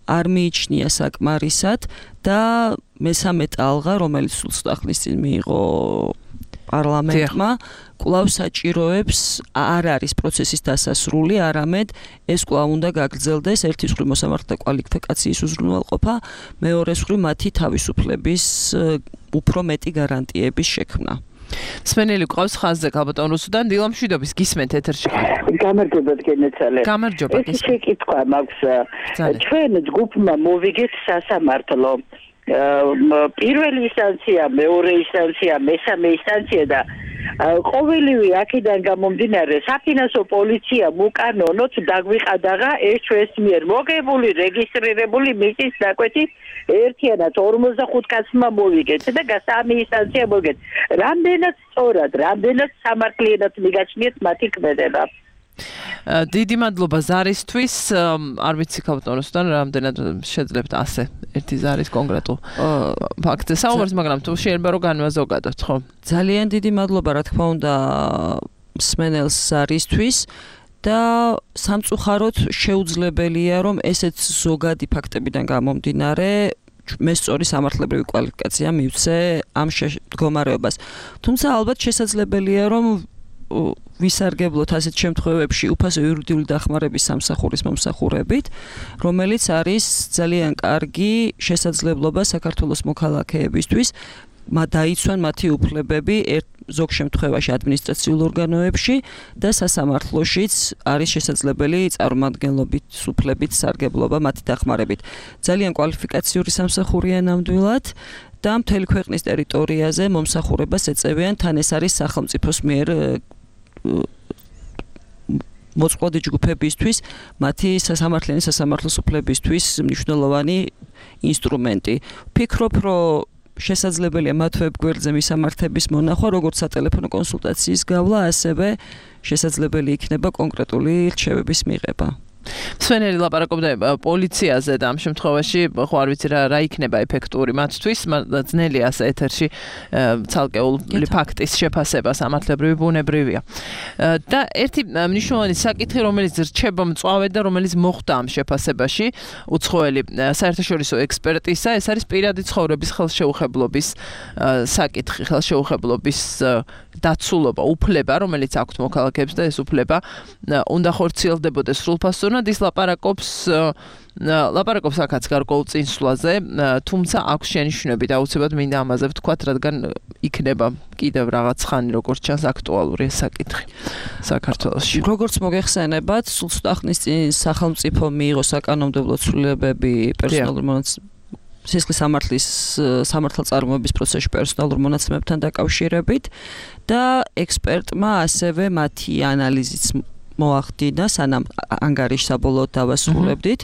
არ მიიჩნია საკმარისად და მესამე ტალღა, რომელიც სულ ახლის წინ მიიღო პარლამენტმა, კვლავ საჭიროებს არ არის პროცესის დასასრული, არამედ ეს კვლავ უნდა გაგრძელდეს ერთი მხრივ მოსამართლეთა კვალიფიკაციის უზრუნველყოფა, მეორე მხრივ მათი თავისუფლების უფრო მეტი გარანტიების შექმნა. სმენელი ყავს ხაზზე ქალბატონ რუსუდან, დილა მშვიდობის, გისმენთ ეთერში ხარ. გამარჯობათ გენაცალე. გამარჯობა. ეს შეკითხვა მაქვს. ჩვენ ჯგუფმა მოვიგეთ სასამართლო. პირველი ინსტანცია, მეორე ინსტანცია, მესამე ინსტანცია და ყოველივე აქედან გამომდინარე საფინანსო პოლიციამ უკანონოდ დაგვიყადაღა ეს ჩვენს მიერ მოგებული რეგისტრირებული მიწის დაკვეთი ერთიანად ორმოცდახუთ კაცმა მოვიგეთ და სამი ინსტანცია მოვიგეთ. რამდენად სწორად, რამდენად სამართლიანად მიგაჩნიეთ მათი ქმედება. დიდი მადლობა ზარისთვის. არ ვიცი ქალბატონოსთან რამდენად შეძლებთ ასე ერთი ზარის კონკრეტულ ფაქტზე საუბარს, მაგრამ თუ შეიძლება რომ განვაზოგადოთ, ხო? ძალიან დიდი მადლობა, რა თქმა უნდა, მსმენელს ზარისთვის და სამწუხაროდ შეუძლებელია, რომ ესეც ზოგადი ფაქტებიდან გამომდინარე მე სწორი სამართლებრივი კვალიფიკაცია მივცე ამ მდგომარეობას. თუმცა ალბათ შესაძლებელია, რომ ვისარგებლოთ ასეთ შემთხვევებში უფასო იურიდიული დახმარების სამსახურის მომსახურებით, რომელიც არის ძალიან კარგი შესაძლებლობა საქართველოს მოქალაქეებისთვის, დაიცვან მათი უფლებები ზოგ შემთხვევაში ადმინისტრაციულ ორგანოებში და სასამართლოშიც არის შესაძლებელი წარმომადგენლობით უფლებით სარგებლობა მათი დახმარებით. ძალიან კვალიფიკაციური სამსახურია ნამდვილად და მთელი ქვეყნის ტერიტორიაზე მომსახურებას ეწევიან, თან ეს არის სახელმწიფოს მიერ მოწყვლადი ჯგუფებისთვის მათი სასამართლიანი სასამართლოს უფლებისთვის მნიშვნელოვანი ინსტრუმენტი. ვფიქრობ, რომ შესაძლებელია მათ ვებგვერდზე მისამართების მონახვა, როგორც სატელეფონო კონსულტაციის გავლა, ასევე შესაძლებელი იქნება კონკრეტული რჩევების მიღება. სვენელი ლაპარაკობდა პოლიციაზე და ამ შემთხვევაში ხო არ ვიცი რა რა იქნება ეფექტური მათთვის, ძნელია ასე ეთერში ცალკეული ფაქტის შეფასება სამართლებრივი ბუნებრივია. და ერთი მნიშვნელოვანი საკითხი, რომელიც რჩება მწვავედ და რომელიც მოხდა ამ შეფასებაში, უცხოელი საერთაშორისო ექსპერტისა, ეს არის პირადი ცხოვრების ხელშეუხებლობის საკითხი, ხელშეუხებლობის დაცულობა, უფლება, რომელიც აქვთ მოქალაქეებს და ეს უფლება უნდა ხორციელდებოდეს სრულფასოვნად. ის ლაპარაკობს ლაპარაკობს აქაც გარკვეულ წინსვლაზე, თუმცა აქვს შენიშვნები და აუცილებლად მინდა ამაზე ვთქვათ, რადგან იქნება კიდევ რაღაც ხანი როგორც ჩანს აქტუალური ეს საკითხი საქართველოში. როგორც მოგეხსენებათ, სულ ცოტა ხნის წინ სახელმწიფო მიიღო საკანონმდებლო ცვლილებები პერსონალურ მონაცემ სისხლის სამართლის სამართალწარმოების პროცესში პერსონალურ მონაცემებთან დაკავშირებით და ექსპერტმა ასევე მათი ანალიზიც მოახდინა, სანამ ანგარიშს საბოლოოდ დავასრულებდით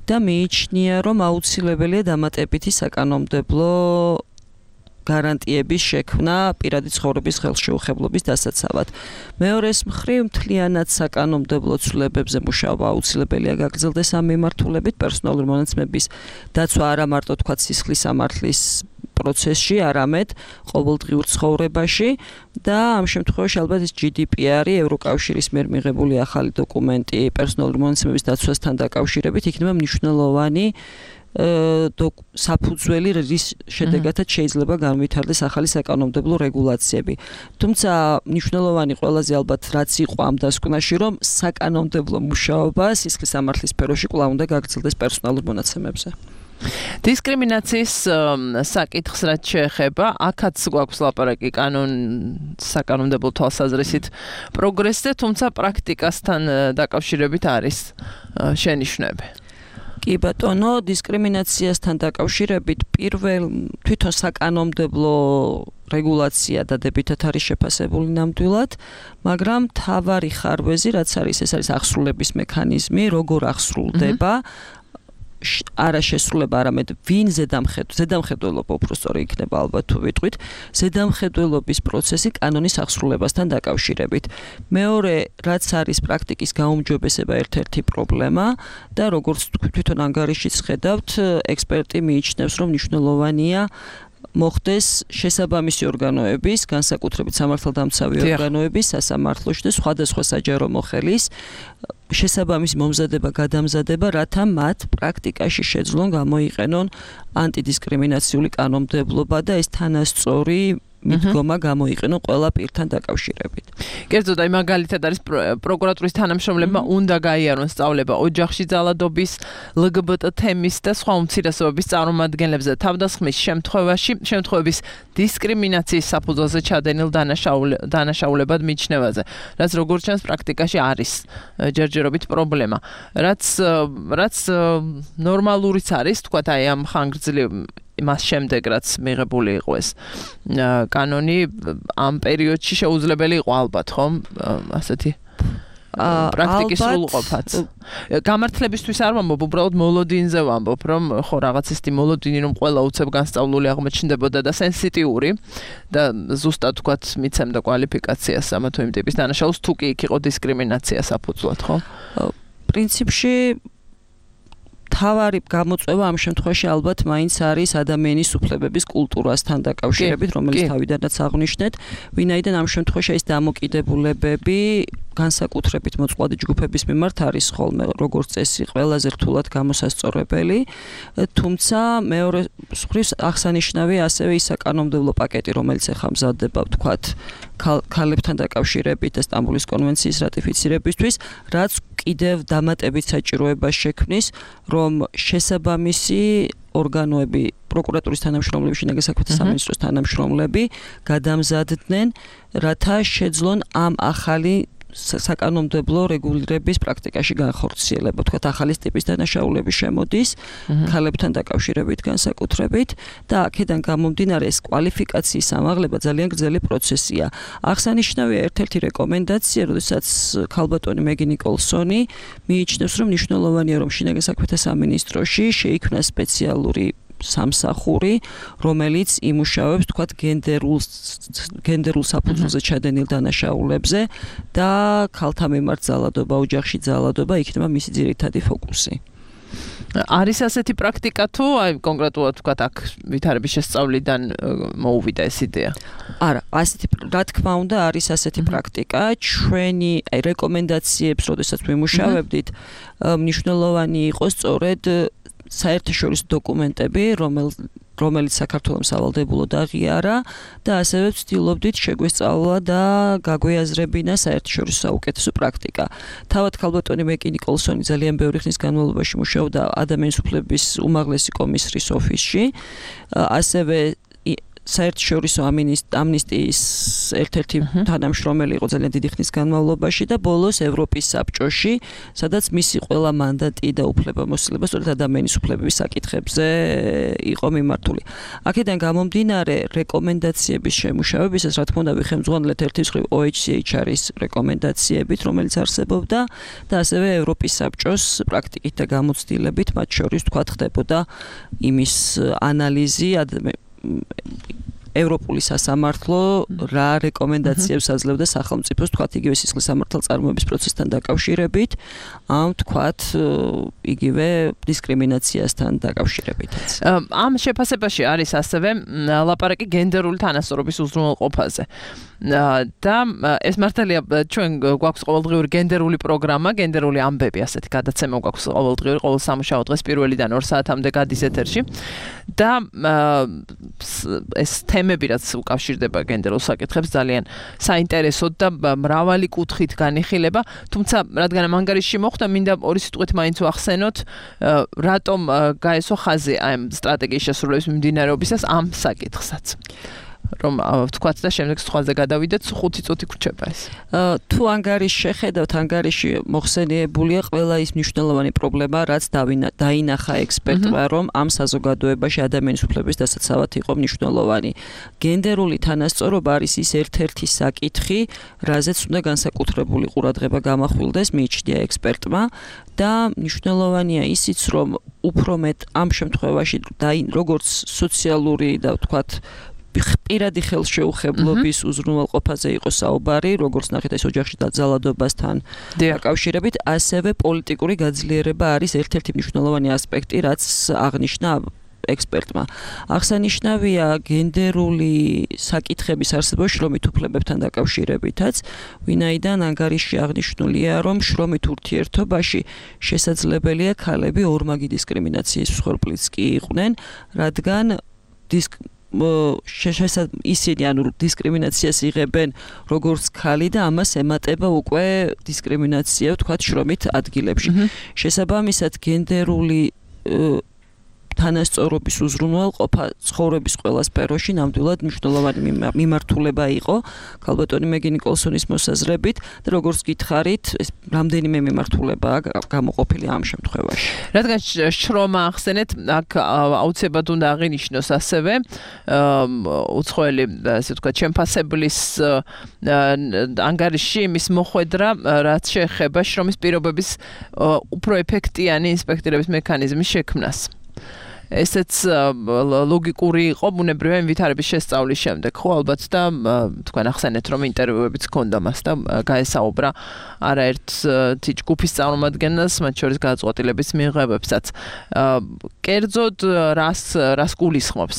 და მიიჩნია, რომ აუცილებელია დამატებითი საკანონმდებლო გარანტიების შექმნა პირადი ცხოვრების ხელშეუხებლობის დასაცავად. მეორეს მხრივ მთლიანად საკანონმდებლო ცვლილებებზე მუშაობა აუცილებელია გაგრძელდეს ამ მიმართულებით, პერსონალური მონაცემების დაცვა არა მარტო თქვა სისხლის სამართლის პროცესში, არამედ ყოველდღიურ ცხოვრებაში და ამ შემთხვევაში ალბათ ეს ჯი დი პი არი ევროკავშირის მიერ მიღებული ახალი დოკუმენტი პერსონალური მონაცემების დაცვასთან დაკავშირებით იქნება მნიშვნელოვანი საფუძველი, რის შედეგადაც შეიძლება განვითარდეს ახალი საკანონმდებლო რეგულაციები. თუმცა მნიშვნელოვანი ყველაზე ალბათ რაც იყო ამ დასკვნაში, რომ საკანონმდებლო მუშაობა სისხლის სამართლის სფეროში კვლავ უნდა გაგრძელდეს პერსონალურ მონაცემებზე. დისკრიმინაციის საკითხს რაც შეეხება, აქაც გვაქვს ლაპარაკი კანონ საკანონმდებლო თვალსაზრისით პროგრესზე, თუმცა პრაქტიკასთან დაკავშირებით არის შენიშვნები. კი ბატონო, დისკრიმინაციასთან დაკავშირებით პირველ თვითონ საკანონმდებლო რეგულაცია დადებითად არის შეფასებული ნამდვილად, მაგრამ მთავარი ხარვეზი რაც არის, ეს არის აღსრულების მექანიზმი, როგორ აღსრულდება არა შესრულება, არამედ ვინ ზედამხედველობა, ზედამხედველობა უბრალოდ იქნება ალბათ თუ ვიტყვით, ზედამხედველობის პროცესი კანონის აღსრულებასთან დაკავშირებით. მეორე, რაც არის პრაქტიკის გაუმჯობესება ერთ-ერთი პრობლემა და როგორც თვითონ ანგარიშიც ხედავთ, ექსპერტი მიიჩნევს, რომ მნიშვნელოვანია მოხდეს შესაბამისი ორგანოების, განსაკუთრებით სამართალდამცავი ორგანოების, სასამართლოში და სხვადასხვა საჯარო მოხელის შესაბამისი მომზადება, გადამზადება, რათა მათ პრაქტიკაში შეძლონ გამოიყენონ ანტიდისკრიმინაციული კანონმდებლობა და ეს თანასწორი მიდგომა გამოიყენონ ყველა პირთან დაკავშირებით. კერძოდ, აი მაგალითად არის პროკურატურის თანამშრომლებმა უნდა გაიარონ სწავლება ოჯახში ძალადობის, ელ გი ბი ტი თემის და სხვა უმცირესობების წარმომადგენლებზე თავდასხმის შემთხვევაში, შემთხვევების დისკრიმინაციის საფუძველზე ჩადენილ დანაშაულებად მიჩნევაზე, რაც როგორც ჩანს პრაქტიკაში არის ჯერჯერობით პრობლემა. რაც რაც ნორმალურიც არის, თქვათ აი ამ ხანგრძლივ მას შემდეგ რაც მიღებული იყო ეს კანონი ამ პერიოდში შეუძლებელი იყო ალბათ, ხომ? ასეთი პრაქტიკის სრულყოფაც. გამართლებისთვის არ ვამბობ, უბრალოდ მოლოდინზე ვამბობ, რომ ხო რაღაც ისეთი მოლოდინი რომ ყველა უცებ განსწავლული აღმოჩნდებოდა და სენსიტიური და ზუსტად თქვათ მიცემდა კვალიფიკაციას ამა თუ იმ ტიპის დანაშაულს, თუ კი იქ იყო დისკრიმინაცია საფუძვლად, ხო? პრინციპში თავარი გამოწვევა ამ შემთხვევაში ალბათ მაინც არის ადამიანის უფლებების კულტურასთან დაკავშირებით, რომელიც თავიდანაც აღნიშნეთ, ვინაიდან ამ შემთხვევაში ეს დამოკიდებულებები განსაკუთრებით მოწყვლადი ჯგუფების მიმართ არის ხოლმე როგორც წესი ყველაზე რთულად გამოსასწორებელი, თუმცა მეორე მხრივ აღსანიშნავია ასევე ის საკანონმდებლო პაკეტი, რომელიც ახლა მზადდება, ვთქვათ, ქალებთან დაკავშირებით და სტამბოლის კონვენციის რატიფიცირებისთვის, რაც კიდევ დამატებით საჭიროებას შექმნის, რომ შესაბამისი ორგანოები, პროკურატურის თანამშრომლები, შინაგან საქმეთა სამინისტროს თანამშრომლები გადამზადდნენ, რათა შეძლონ ამ ახალი საკანონმდებლო რეგულირების პრაქტიკაში განხორციელება. თქვათ, ახალი ტიპის დანაშაულები შემოდის ქალებთან დაკავშირებით განსაკუთრებით და აქედან გამომდინარე ეს კვალიფიკაციის ამაღლება ძალიან გრძელი პროცესია. აღსანიშნავია ერთ-ერთი რეკომენდაცია, როდესაც ქალბატონი მეგი ნიკოლსონი მიიჩნევს, რომ მნიშვნელოვანია, რომ შინაგან საქმეთა სამინისტროში შეიქმნა სპეციალური სამსახური, რომელიც იმუშავებს, თქვათ, გენდერულ გენდერულ საფუძველზე ჩადენილ დანაშაულებზე და ქალთა მიმართ ძალადობა, ოჯახში ძალადობა იქნება მისი ძირითადი ფოკუსი. არის ასეთი პრაქტიკა თუ აი კონკრეტულად თქვათ აქ ვითარების შესწავლიდან მოუვიდა ეს იდეა? არა, ასეთი რა თქმა უნდა არის ასეთი პრაქტიკა. ჩვენი აი რეკომენდაციებს, როდესაც ვიმუშავებდით, მნიშვნელოვანი იყო სწორედ საერთაშორისო დოკუმენტები, რომელიც საქართველოს სავალდებულოდ აღიარა და ასევე ვცდილობდით შეგვესწავლა და გაგვეაზრებინა საერთაშორისო საუკეთესო პრაქტიკა. თავად ქალბატონი მეგი ნიკოლსონი ძალიან ბევრი ხნის განმავლობაში მუშაობდა ადამიანის უფლებების უმაღლესი კომისრის ოფისში, ასევე საერთაშორისო ამნისტიის ერთ-ერთი თანამშრომელი იყო ძალიან დიდი ხნის განმავლობაში და ბოლოს ევროპის საბჭოში, სადაც მისი ყველა მანდატი და უფლებამოსილება სწორედ ადამიანის უფლებების საკითხებზე იყო მიმართული. აქედან გამომდინარე რეკომენდაციების შემუშავებისას, რა თქმა უნდა, ვიხემძღვანელეთ ერთი მხრივ ო ეიჩ სი ეიჩ არის რეკომენდაციებით, რომელიც არსებობდა და ასევე ევროპის საბჭოს პრაქტიკით და გამოცდილებით, მათ შორის თქვა ხდებოდა იმის ანალიზი ევროპული სასამართლო რა რეკომენდაციებს აძლევდა სახელმწიფოს, თქვათ იგივე სისხლის სამართალწარმოების პროცესთან დაკავშირებით, ამ თქვათ იგივე დისკრიმინაციასთან დაკავშირებითაც. ამ შეფასებაში არის ასევე ლაპარაკი გენდერული თანასწორობის უზრუნველყოფაზე. და ეს მართალია ჩვენ გვაქვს ყოველდღიური გენდერული პროგრამა, გენდერული ამბები, ასეთი გადაცემა გვაქვს ყოველდღიური, ყოველ სამუშაო დღეს პირველიდან ორ საათამდე გადის ეთერში და ეს თემები რაც უკავშირდება გენდერულ საკითხებს ძალიან საინტერესოდ და მრავალი კუთხით განიხილება, თუმცა რადგან ამ ანგარიშში მოხდა, მინდა ორი სიტყვით მაინც ვახსენოთ, რატომ გაესვა ხაზი ამ სტრატეგიის შესრულების მიმდინარეობისას ამ საკითხსაც. რომ ვთქვათ და შემდეგ სხვაზე გადავიდეთ, ხუთი წუთი გრჩება ეს. თუ ანგარიშს შეხედავთ, ანგარიში მოხსენიებულია ყველა ის მნიშვნელოვანი პრობლემა, რაც დაინახა ექსპერტმა, რომ ამ საზოგადოებაში ადამიანის უფლების დასაცავად იყო მნიშვნელოვანი. გენდერული თანასწორობა არის ის ერთ-ერთი საკითხი, რაზეც უნდა განსაკუთრებული ყურადღება გამახვილდეს, მიიჩნია ექსპერტმა და მნიშვნელოვანია ისიც, რომ უფრო მეტ ამ შემთხვევაში როგორც სოციალური და ვთქვათ პირადი ხელშეუხებლობის უზრუნველყოფაზე იყო საუბარი, როგორც ნახეთ ეს ოჯახში დაძალადობასთან დაკავშირებით, ასევე პოლიტიკური გაძლიერება არის ერთ-ერთი მნიშვნელოვანი ასპექტი, რაც აღნიშნა ექსპერტმა. აღსანიშნავია გენდერული საკითხების არსებობა შრომით უფლებებთან დაკავშირებითაც, ვინაიდან ანგარიში აღნიშნულია, რომ შრომით ურთიერთობაში შესაძლებელია ქალები ორმაგი დისკრიმინაციის მსხვერპლიც კი იყვნენ, რადგან დისკ ისინი ანუ დისკრიმინაციას იღებენ როგორც ქალი და ამას ემატება უკვე დისკრიმინაცია ვთქვათ შრომით ადგილებში. შესაბამისად გენდერული თანასწორობის უზრუნველყოფა ცხოვრების ყველა სფეროში ნამდვილად მნიშვნელოვანი მიმართულება იყო ქალბატონი მეგი ნიკოლსონის მოსაზრებით და როგორც გითხარით ეს რამდენიმე მიმართულებაა გამოყოფილი ამ შემთხვევაში. რადგან შრომა ახსენეთ, აქ აუცილებლად უნდა აღინიშნოს ასევე უცხოელი ასე ვთქვათ შემფასებლის ანგარიში იმის მოხვედრა, რაც შეეხება შრომის პირობების უფრო ეფექტიანი ინსპექტირების მექანიზმის შექმნას. ესეც ლოგიკური იყო ბუნებრივია იმ ვითარების შესწავლის შემდეგ, ხო ალბათ და თქვენ ახსენეთ, რომ ინტერვიუებიც ჰქონდა მას და გაესაუბრა არაერთ ჯგუფის წარმომადგენელს, მათ შორის გადაწყვეტილების მიღებებსაც. კერძოდ რას რას გულისხმობს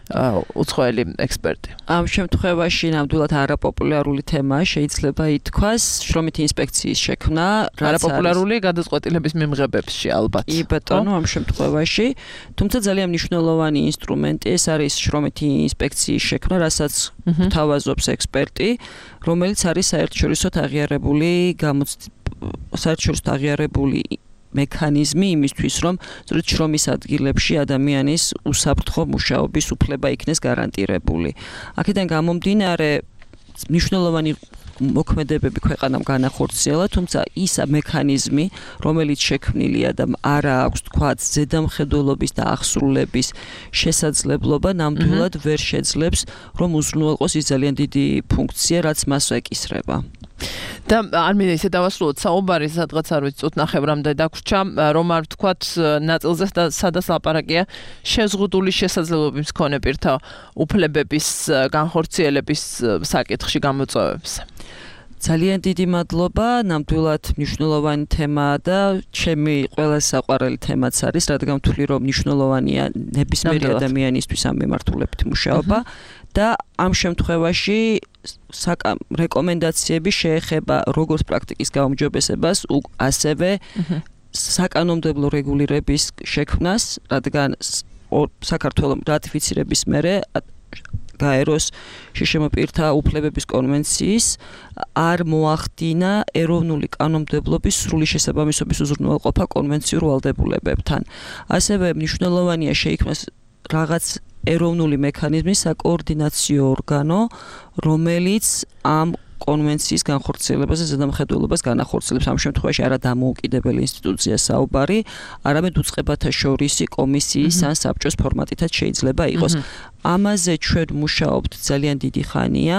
უცხოელი ექსპერტი? ამ შემთხვევაში ნამდვილად არაპოპულარული თემაა, შეიძლება ითქვას, შრომითი ინსპექციის შექმნა, არაპოპულარული გადაწყვეტილების მიღებებში ალბათ. კი ბატონო, ამ შემთხვევაში, თუმცა ძალიან მნიშვნელოვანი ინსტრუმენტი ეს არის შრომითი ინსპექციის შექმნა, რასაც გვთავაზობს ექსპერტი, რომელიც არის საერთაშორისო აღიარებული საერთაშორისო აღიარებული მექანიზმი იმისთვის, რომ სწორედ შრომის ადგილებში ადამიანის უსაფრთხო მუშაობის უფლება იქნეს გარანტირებული. აქედან გამომდინარე მნიშვნელოვანი მოქმედებები ქვეყანამ განახორციელა, თუმცა ის მექანიზმი, რომელიც შექმნილია და არა აქვს თქვათ ზედამხედველობის და აღსრულების შესაძლებლობა, ნამდვილად ვერ შეძლებს, რომ უზრუნველყოს ის ძალიან დიდი ფუნქცია, რაც მას ეკისრება. და არ მინდა ისე დავასრულოთ საუბარი, სადღაც არ ვიცი, წუთ ნახევრამდე დაგვრჩა, რომ არ ვთქვათ ნაწილზე და სადაც ლაპარაკია შეზღუდული შესაძლებლობის მქონე პირთა უფლებების განხორციელების საკითხში გამოწვევებს. ძალიან დიდი მადლობა, ნამდვილად მნიშვნელოვანი თემაა და ჩემი ყველა საყვარელი თემაც არის, რადგან ვთვლი, რომ მნიშვნელოვანია ნებისმიერი ადამიანისთვის ამ მიმართულებით მუშაობა და ამ შემთხვევაში რეკომენდაციები შეეხება როგორც პრაქტიკის გაუმჯობესებას, ასევე საკანონმდებლო რეგულირების შექმნას, რადგან საქართველოს რატიფიცირების მერე გაეროს შშმ პირთა უფლებების კონვენციის არ მოახდინა ეროვნული კანონმდებლობის სრული შესაბამისობის უზრუნველყოფა კონვენციურ ვალდებულებებთან. ასევე მნიშვნელოვანია შეიქმნას რაღაც ეროვნული მექანიზმი, საკოორდინაციო ორგანო, რომელიც ამ კონვენციის განხორციელებაზე ზედამხედველობას განახორციელებს. ამ შემთხვევაში არა დამოუკიდებელი ინსტიტუცია საუბარი, არამედ უწყებათა შორისი კომისიის ან საბჭოს ფორმატითაც შეიძლება იყოს. ამაზე ჩვენ მუშაობთ ძალიან დიდი ხანია,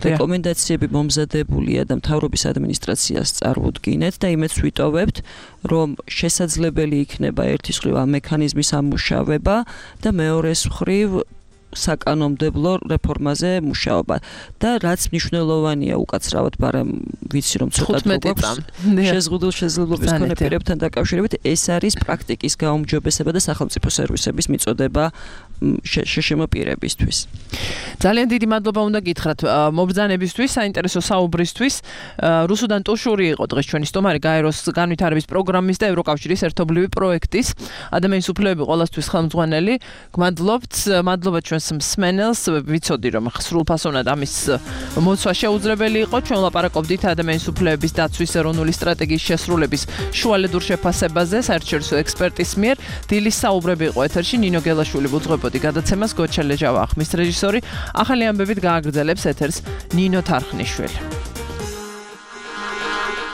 რეკომენდაციები მომზადებულია და მთავრობის ადმინისტრაციას წარუდგინეთ და იმედს ვიტოვებთ, რომ შესაძლებელი იქნება ერთის მხრივ ამ მექანიზმის ამუშავება და მეორეს მხრივ საკანონმდებლო რეფორმაზე მუშაობა და რაც მნიშვნელოვანია უკაცრავად, მაგრამ ვიცი რომ ცოტა გვაქვს შეზღუდულ შესაძლებლობის მქონე პირებთან დაკავშირებით, ეს არის პრაქტიკის გაუმჯობესება და სახელმწიფო სერვისების მიწოდება შეშემო პირებისთვის. ძალიან დიდი მადლობა უნდა გითხრათ მობრძანებისთვის, საინტერესო საუბრისთვის. რუსუდან ტუშური იყო დღეს ჩვენი სტუმარი გაეროს განვითარების პროგრამის და ევროკავშირის ერთობლივი პროექტის ადამიანის უფლებები ყოველთვის ხელმძღვანელი. გმადლობთ, მადლობა ჩვენს მსმენელს. ვიცოდი რომ სრულფასოვნად ამის მოცვა შეუძლებელი იყო. ჩვენ ვლაპარაკობდით ადამიანის უფლებების დაცვის ეროვნული სტრატეგიის შესრულების შუალედურ შეფასებაზე საერთაშორისო ექსპერტის მიერ. დილის საუბრები იყო ეთერში. ნინო გელაშვილი უძღვებოდი გადაცემას, გოჩა ლეჯავა ხმის რეჟისორი. ახალი ამბებით გააგრძელებს ეთერს ნინო თარხნიშვილი.